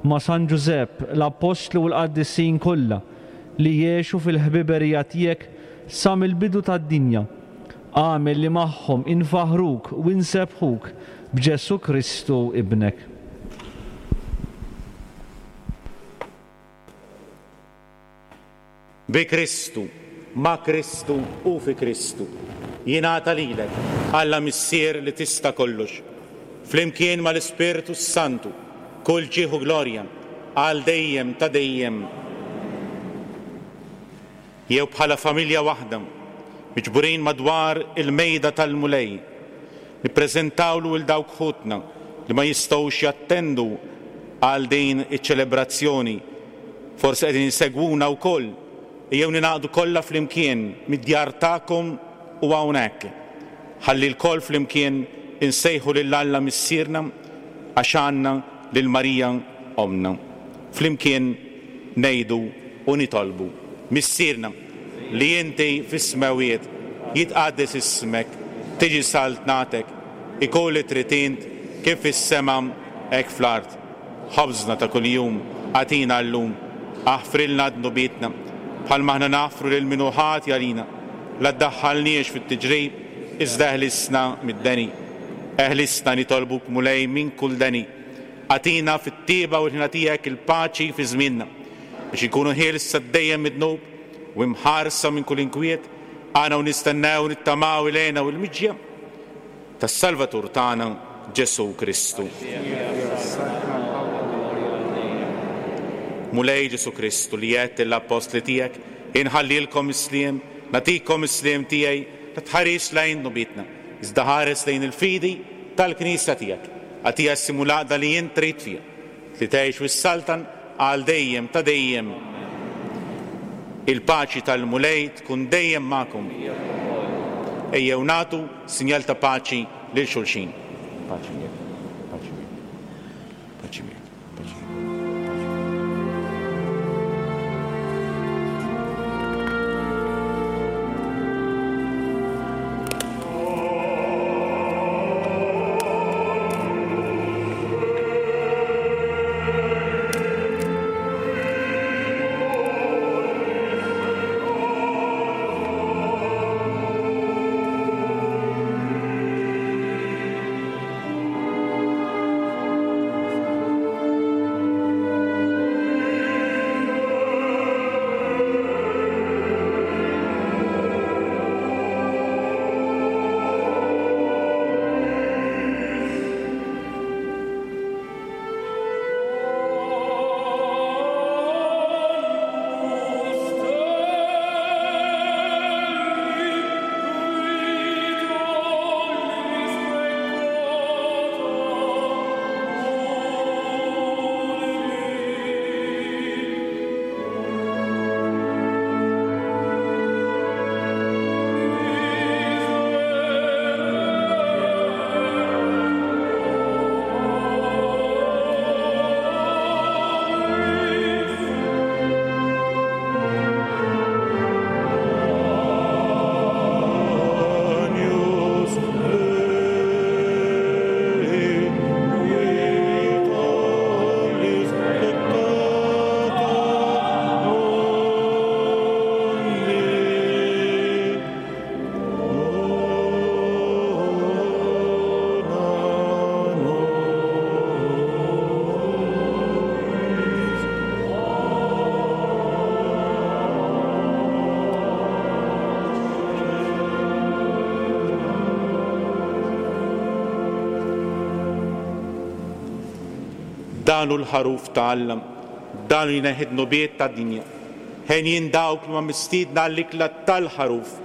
ma' San Ġużepp, l-Appostli u l-qaddisin kollha li għexu fil-ħbiberija tiegħek sa mill-bidu tad-dinja. Agħmel li magħhom infaħħruk u nsebbħuk b'Ġesù Kristu Ibnek. Bi Kristu, ma' Kristu u fi Kristu, jingħata lilek, Alla Missier li tista' kollox, flimkien mal-Ispirtu s-Santu, kull ġieħ u glorja, għal dejjem ta' dejjem. Jew bħala familja waħda, miġburin madwar il-mejda tal-Mulej, nippreżentawlu 'l dawk ħutna li ma jistgħux jattendu għal din iċ-ċelebrazzjoni, forsi qegħdin isegwuna wkoll, ejjew ningħaqdu kollha flimkien mid-djar tagħkom u hawnhekk, ħalli lkoll flimkien insejħu lil Alla Missierna għax għandna lil Marija Ommna. Flimkien ngħidu u nitolbu, Missierna, li inti fis-smewwiet, jitqaddes ismek, tiġi saltnatek, ikun li trid int kif fis-sema hekk fl-art. Ħobżna ta' kuljum agħtina llum. Aħfrilna dnubietna, bħalma aħna naħfru lil min hu ħati għalina. La ddaħħalniex fit-tiġrib, iżda eħlisna mid-deni. Eħlisna, nitolbuk Mulej, minn kull deni. Agħtina fit-tjieba u l-ħniena tiegħek il-paċi fi żmienna, biex inkunu ħielsa dejjem mid-dnub. u imħarsa minn kull inkwiet, aħna u nistennew u nittamaw il-hena u l-miġja tas-Salvatur tagħna Ġesù Kristu. Mulej Ġesù Kristu li għedt lill-appostli tiegħek, Inħallilkom is-sliem, nagħtikom is-sliem tiegħi, la tħarisx lejn dnubietna, iżda ħares lejn il-fidi tal-Knisja tiegħek. Agħtiha s-sliem u l-għaqda li int trid fiha, li tgħix u ssaltan għal dejjem ta' dejjem. Il-paċi tal-Mulej tkun dejjem magħkom. Ejjew nagħtu sinjal ta' paċi lil xulxin. Paċi miegħek. Paċi miegħek. Paċi miegħek. Paċi miegħek. Dan hu l-Ħaruf ta' Alla, dan hu jneħħi d-dnubiet tad-dinja. Henjin dawk li huma mistiedna għall-ikla tal-Ħaruf.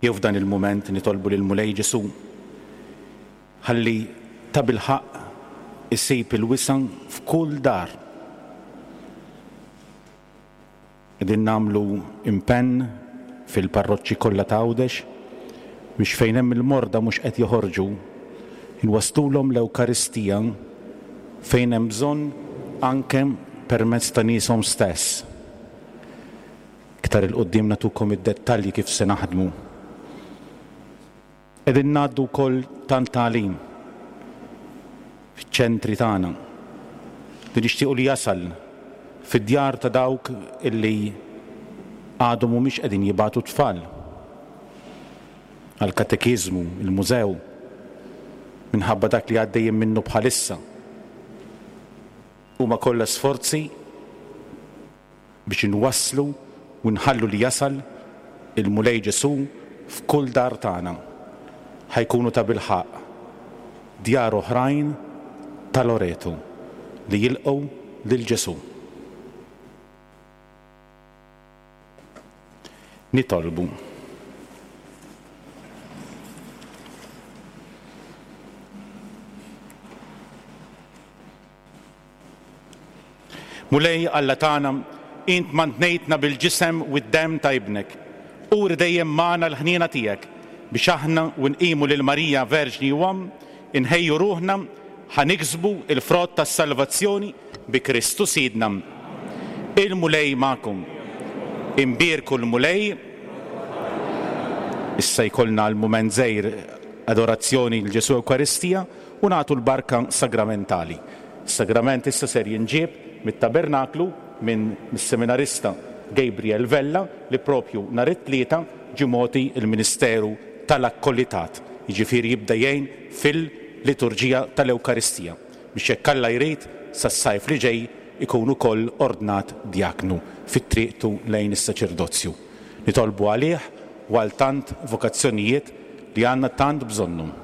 Jew f'dan il-mument nitolbu lill-Mulej Ġesù ħalli tabilħaqq isib il-wisa' f'kull dar. Qegħdin nagħmlu impenn fil-parroċċi kollha ta' Għawdex biex fejn hemm il-morda mhux qed joħorġu, inwasslulhom l-Ewkaristija fejn hemm bżonn anke permezz ta' nieshom stess. Iktar 'il quddiem nagħtukom id-dettalji kif se naħdmu. Qegħdin ngħaddu wkoll tant tagħlim fiċ-ċentri tagħna li nixtiequ li jasal fid-djar ta' dawk illi għadhom mhumiex qegħdin jibagħtu t-tfal għall-katekiżmu, il-mużew, minħabba dak li għaddejjin minnu bħalissa. Huma kollha sforzi biex inwasslu u nħallu li jasal il-Mulej Ġesù f'kull dar tagħna. Ħa jkunu tabilħaqq djar oħrajn ta' Loreto li jilqgħu lil Ġesù. Nitolbu. Mulej Alla tagħna, int mantnejtna bil-ġisem u d-demm ta' Ibnek. Uri dejjem magħna l-ħniena tiegħek, biex aħna u nqimu lil Marija Verġni u Omm, inħejju ruħna ħa niksbu l-frott tas-salvazzjoni bi Kristu Sidna. Il-Mulej magħkom. Imbierku l-Mulej. Issa jkollna għal mument żgħir adorazzjoni 'l Ġesù Ewkaristija u nagħtu l-barka sagramentali. Is-sagrament issa ser jinġieb mit-tabernaklu minn mis-seminarista Gabriel Vella li propju nhar it-Tlieta ġie mogħti l-ministeru tal-akkolitat, jiġifieri jibda jgħin fil-liturġija tal-Ewkaristija, biex jekk Alla jrid sas-sajf li ġej ikun ukoll ordnat djaknu fi triqtu lejn is-saċerdozju. Nitolbu għalih u għal tant vokazzjonijiet li għandna tant bżonnhom.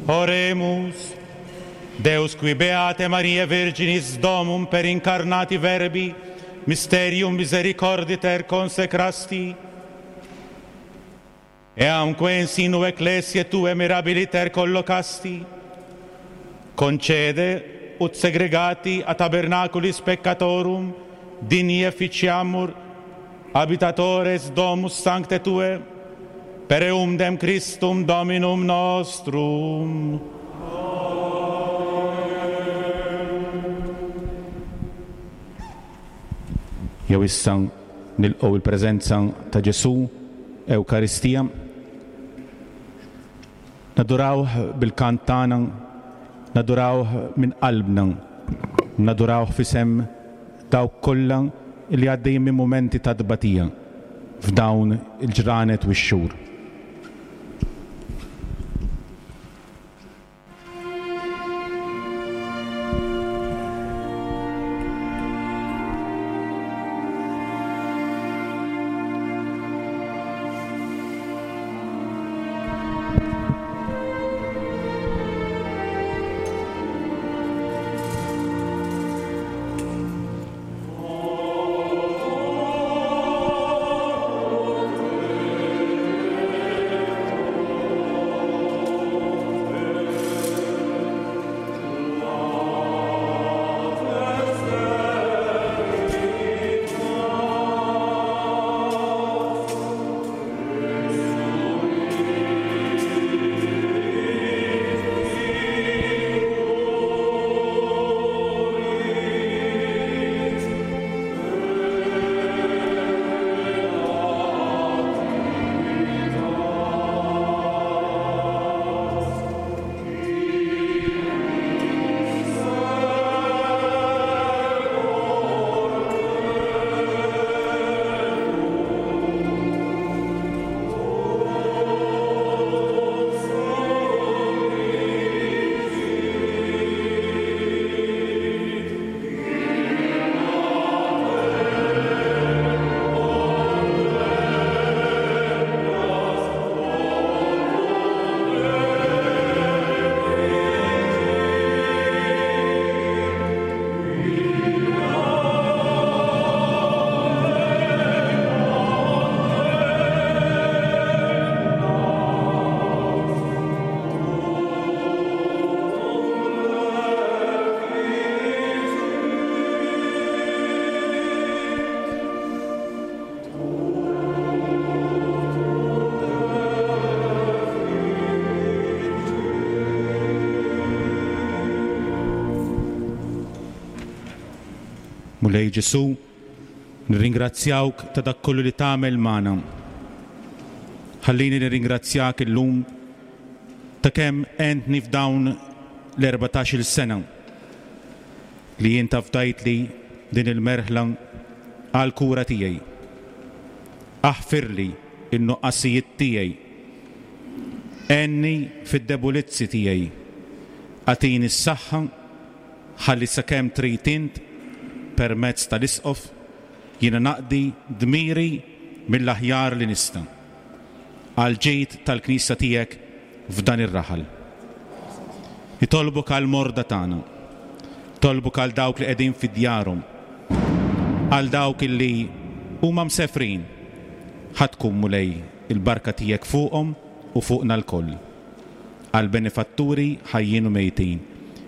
Oremus. Deus qui beate Mariae Virginis domum per incarnati verbi mysterium misericorditer consecrasti, eamque in sinu ecclesiae tue mirabiliter collocasti, concede ut segregati a tabernaculis peccatorum digni efficiamur habitatores domus sancte tue, per eumdem Christum Dominum nostrum. Jew issa nilqgħu il-preżenza ta' Ġesù, Ewkaristija. Nadurawh bil-kant tagħna, nadurawh minn qalbna, nadurawh f'isem dawk kollha li għaddejjin minn mumenti ta' tbatija f'dawn il-ġranet u x-xhur. Mulej Ġesù, nirringrazzjawk ta' dak kollu li tagħmel magħna. Ħallini nirringrazzjak illum ta' kemm għentni f'dawn l-erbatax-il sena li int afdajtli din il-merħla għall-kura tiegħi. Aħfirli n-nuqqasijiet tiegħi. Għenni fid-debulizzi tiegħi. Agħtini s-saħħa ħalli sakemm trid int, permezz tal-Isqof, jiena naqdi dmiri mill-aħjar li nista', għall-ġid tal-Knisja tiegħek f'dan ir-raħal. Nitolbok għall-morda tagħna. Nitolbok għal dawk li qegħdin fi djarhom, għal dawk illi huma msefrin. Ħa tkun, Mulej, il-barka tiegħek fuqhom u fuqna lkoll. Għall-benefatturi ħajjin u mejtin.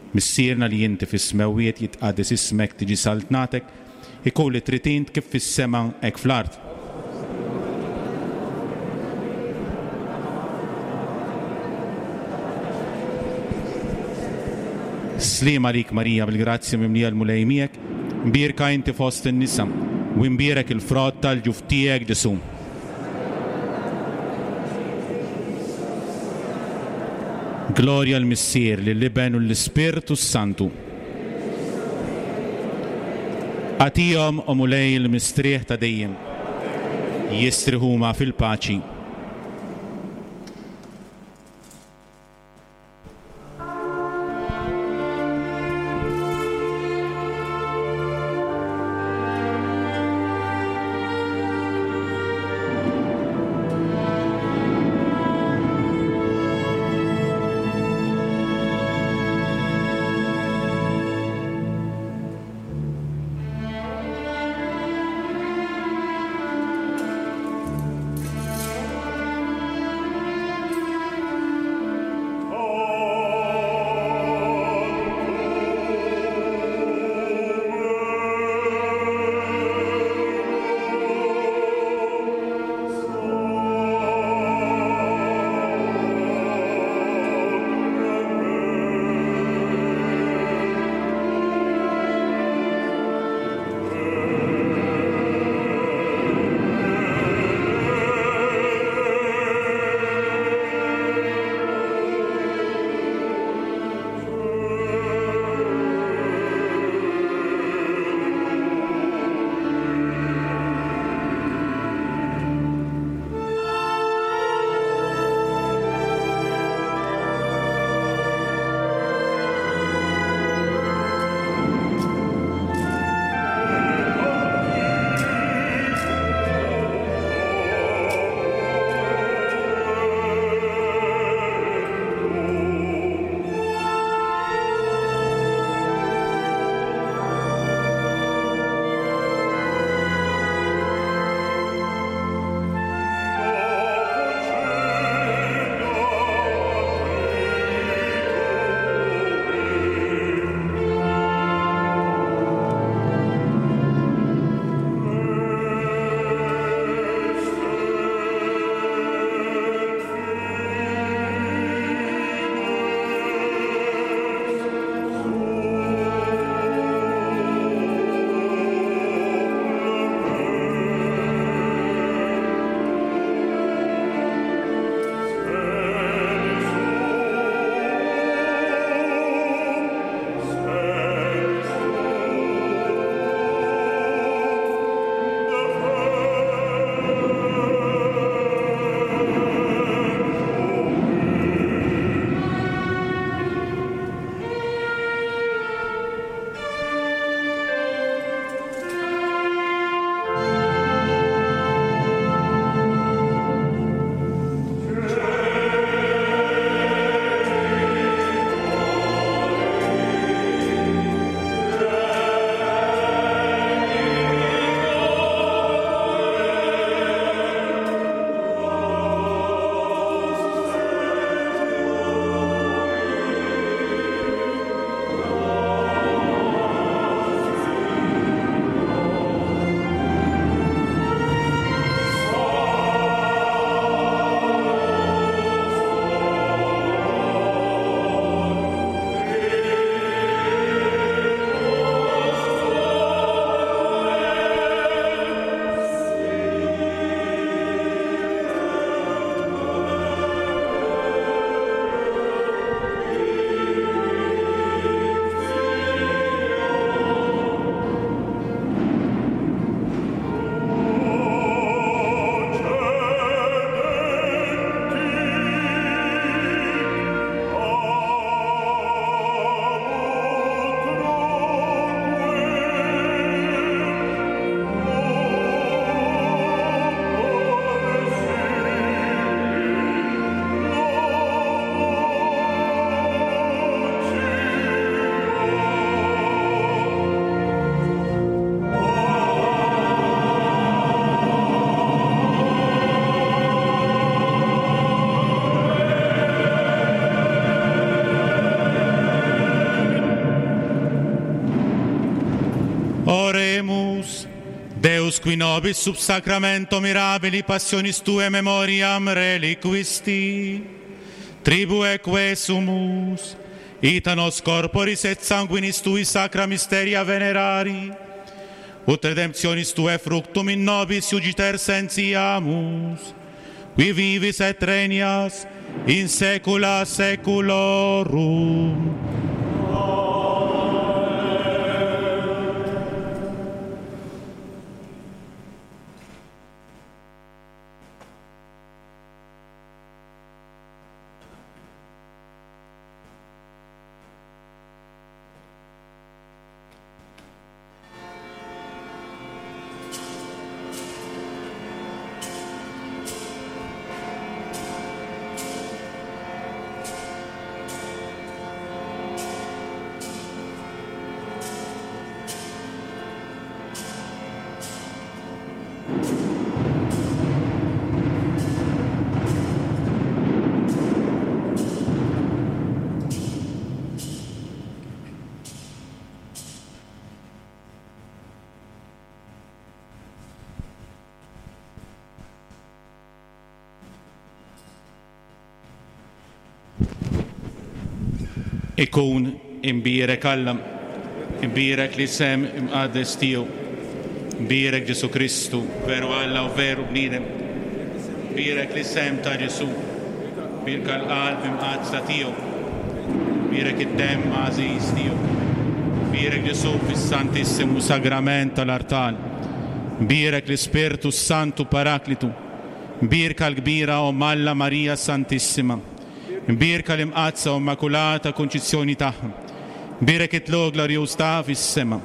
Missierna li inti fis-smewwiet jitqaddes ismek tiġi saltnatek, ikun li trid int kif fis-sema hekk fl-art. Sliem għalik Marija bil-grazzja mimlija l-Mulej miegħek, mbierka inti fost in-nisa, u imbierek il-frott tal-ġuf tiegħek Ġesù. Glorja l-Missier, lill-Iben u l-Ispirtu s-Santu. Agħtihom, o Mulej, il-mistrieħ ta' dejjem. Jistrieħu huma fil-paċi. Deus qui nobis sub sacramento mirabili passionis tue memoriam reliquisti, tribueque sumus, ita nos corporis et sanguinis tui sacra mysteria venerari, ut redemptionis tue fructum in nobis iugiter sentiamus, qui vivis et regnas in saecula saeculorum. Ikun imbierek Alla, imbierek l-isem imqaddes tiegħu, imbierek Ġesù Kristu, veru Alla u veru bniedem, imbierek l-isem ta' Ġesù, imbierka l-qalb imqaddsa tiegħu, imbierek id-demm għażiż tiegħu, imbierek Ġesù fis-Santissimu Sagrament tal-artal, imbierek l-Ispirtu s-Santu Paraklitu, imbierka l-kbira Omm Alla Marija Santissima, Imbierka l-Imqaddsa u Immakulata Kunċizzjoni tagħha. Imbierek it-tlugħ glorjuż tagħha fis-sema.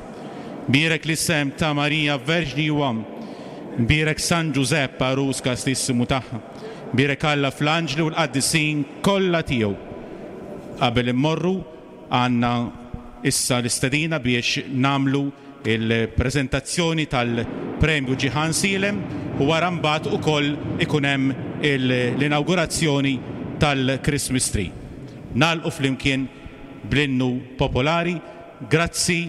Imbierek l-isem ta' Marija Verġni u Omm. Imbierek San Ġużepp għarus kastissimu tagħha. Imbierek Alla fl-anġli u l-qaddisin kollha tiegħu. Qabel immorru għandna issa l-istedina biex nagħmlu il-preżentazzjoni tal-Premju Ġiħan Sielem u wara mbagħad ukoll ikun hemm l-inawgurazzjoni tal-Christmas Tree. Nagħlqu flimkien bl-innu popolari. Grazzi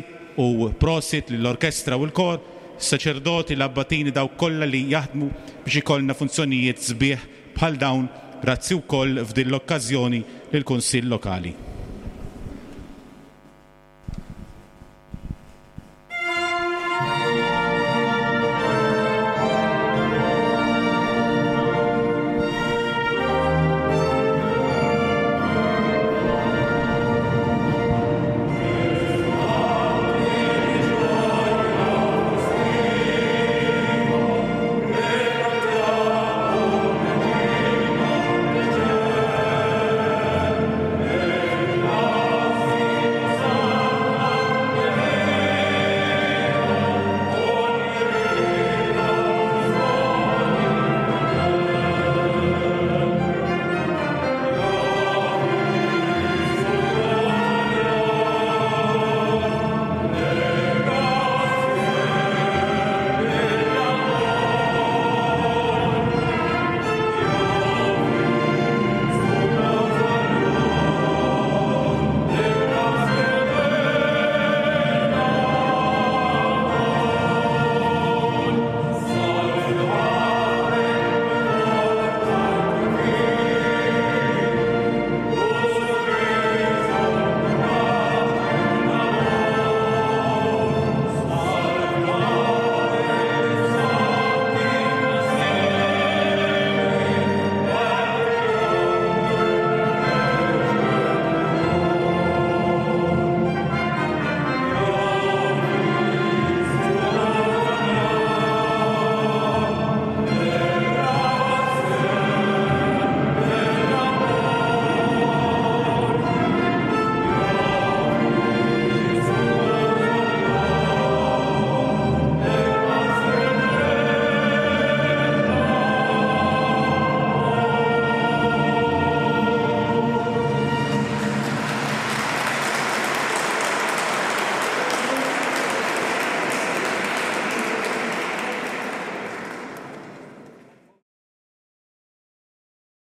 u prosit lill-orkestra u l-kor, is-saċerdoti, l-abbatini, dawk kollha li jaħdmu biex ikollna funzjonijiet sbieħ bħal dawn. Grazzi wkoll f'din l-okkażjoni lill-Kunsill Lokali.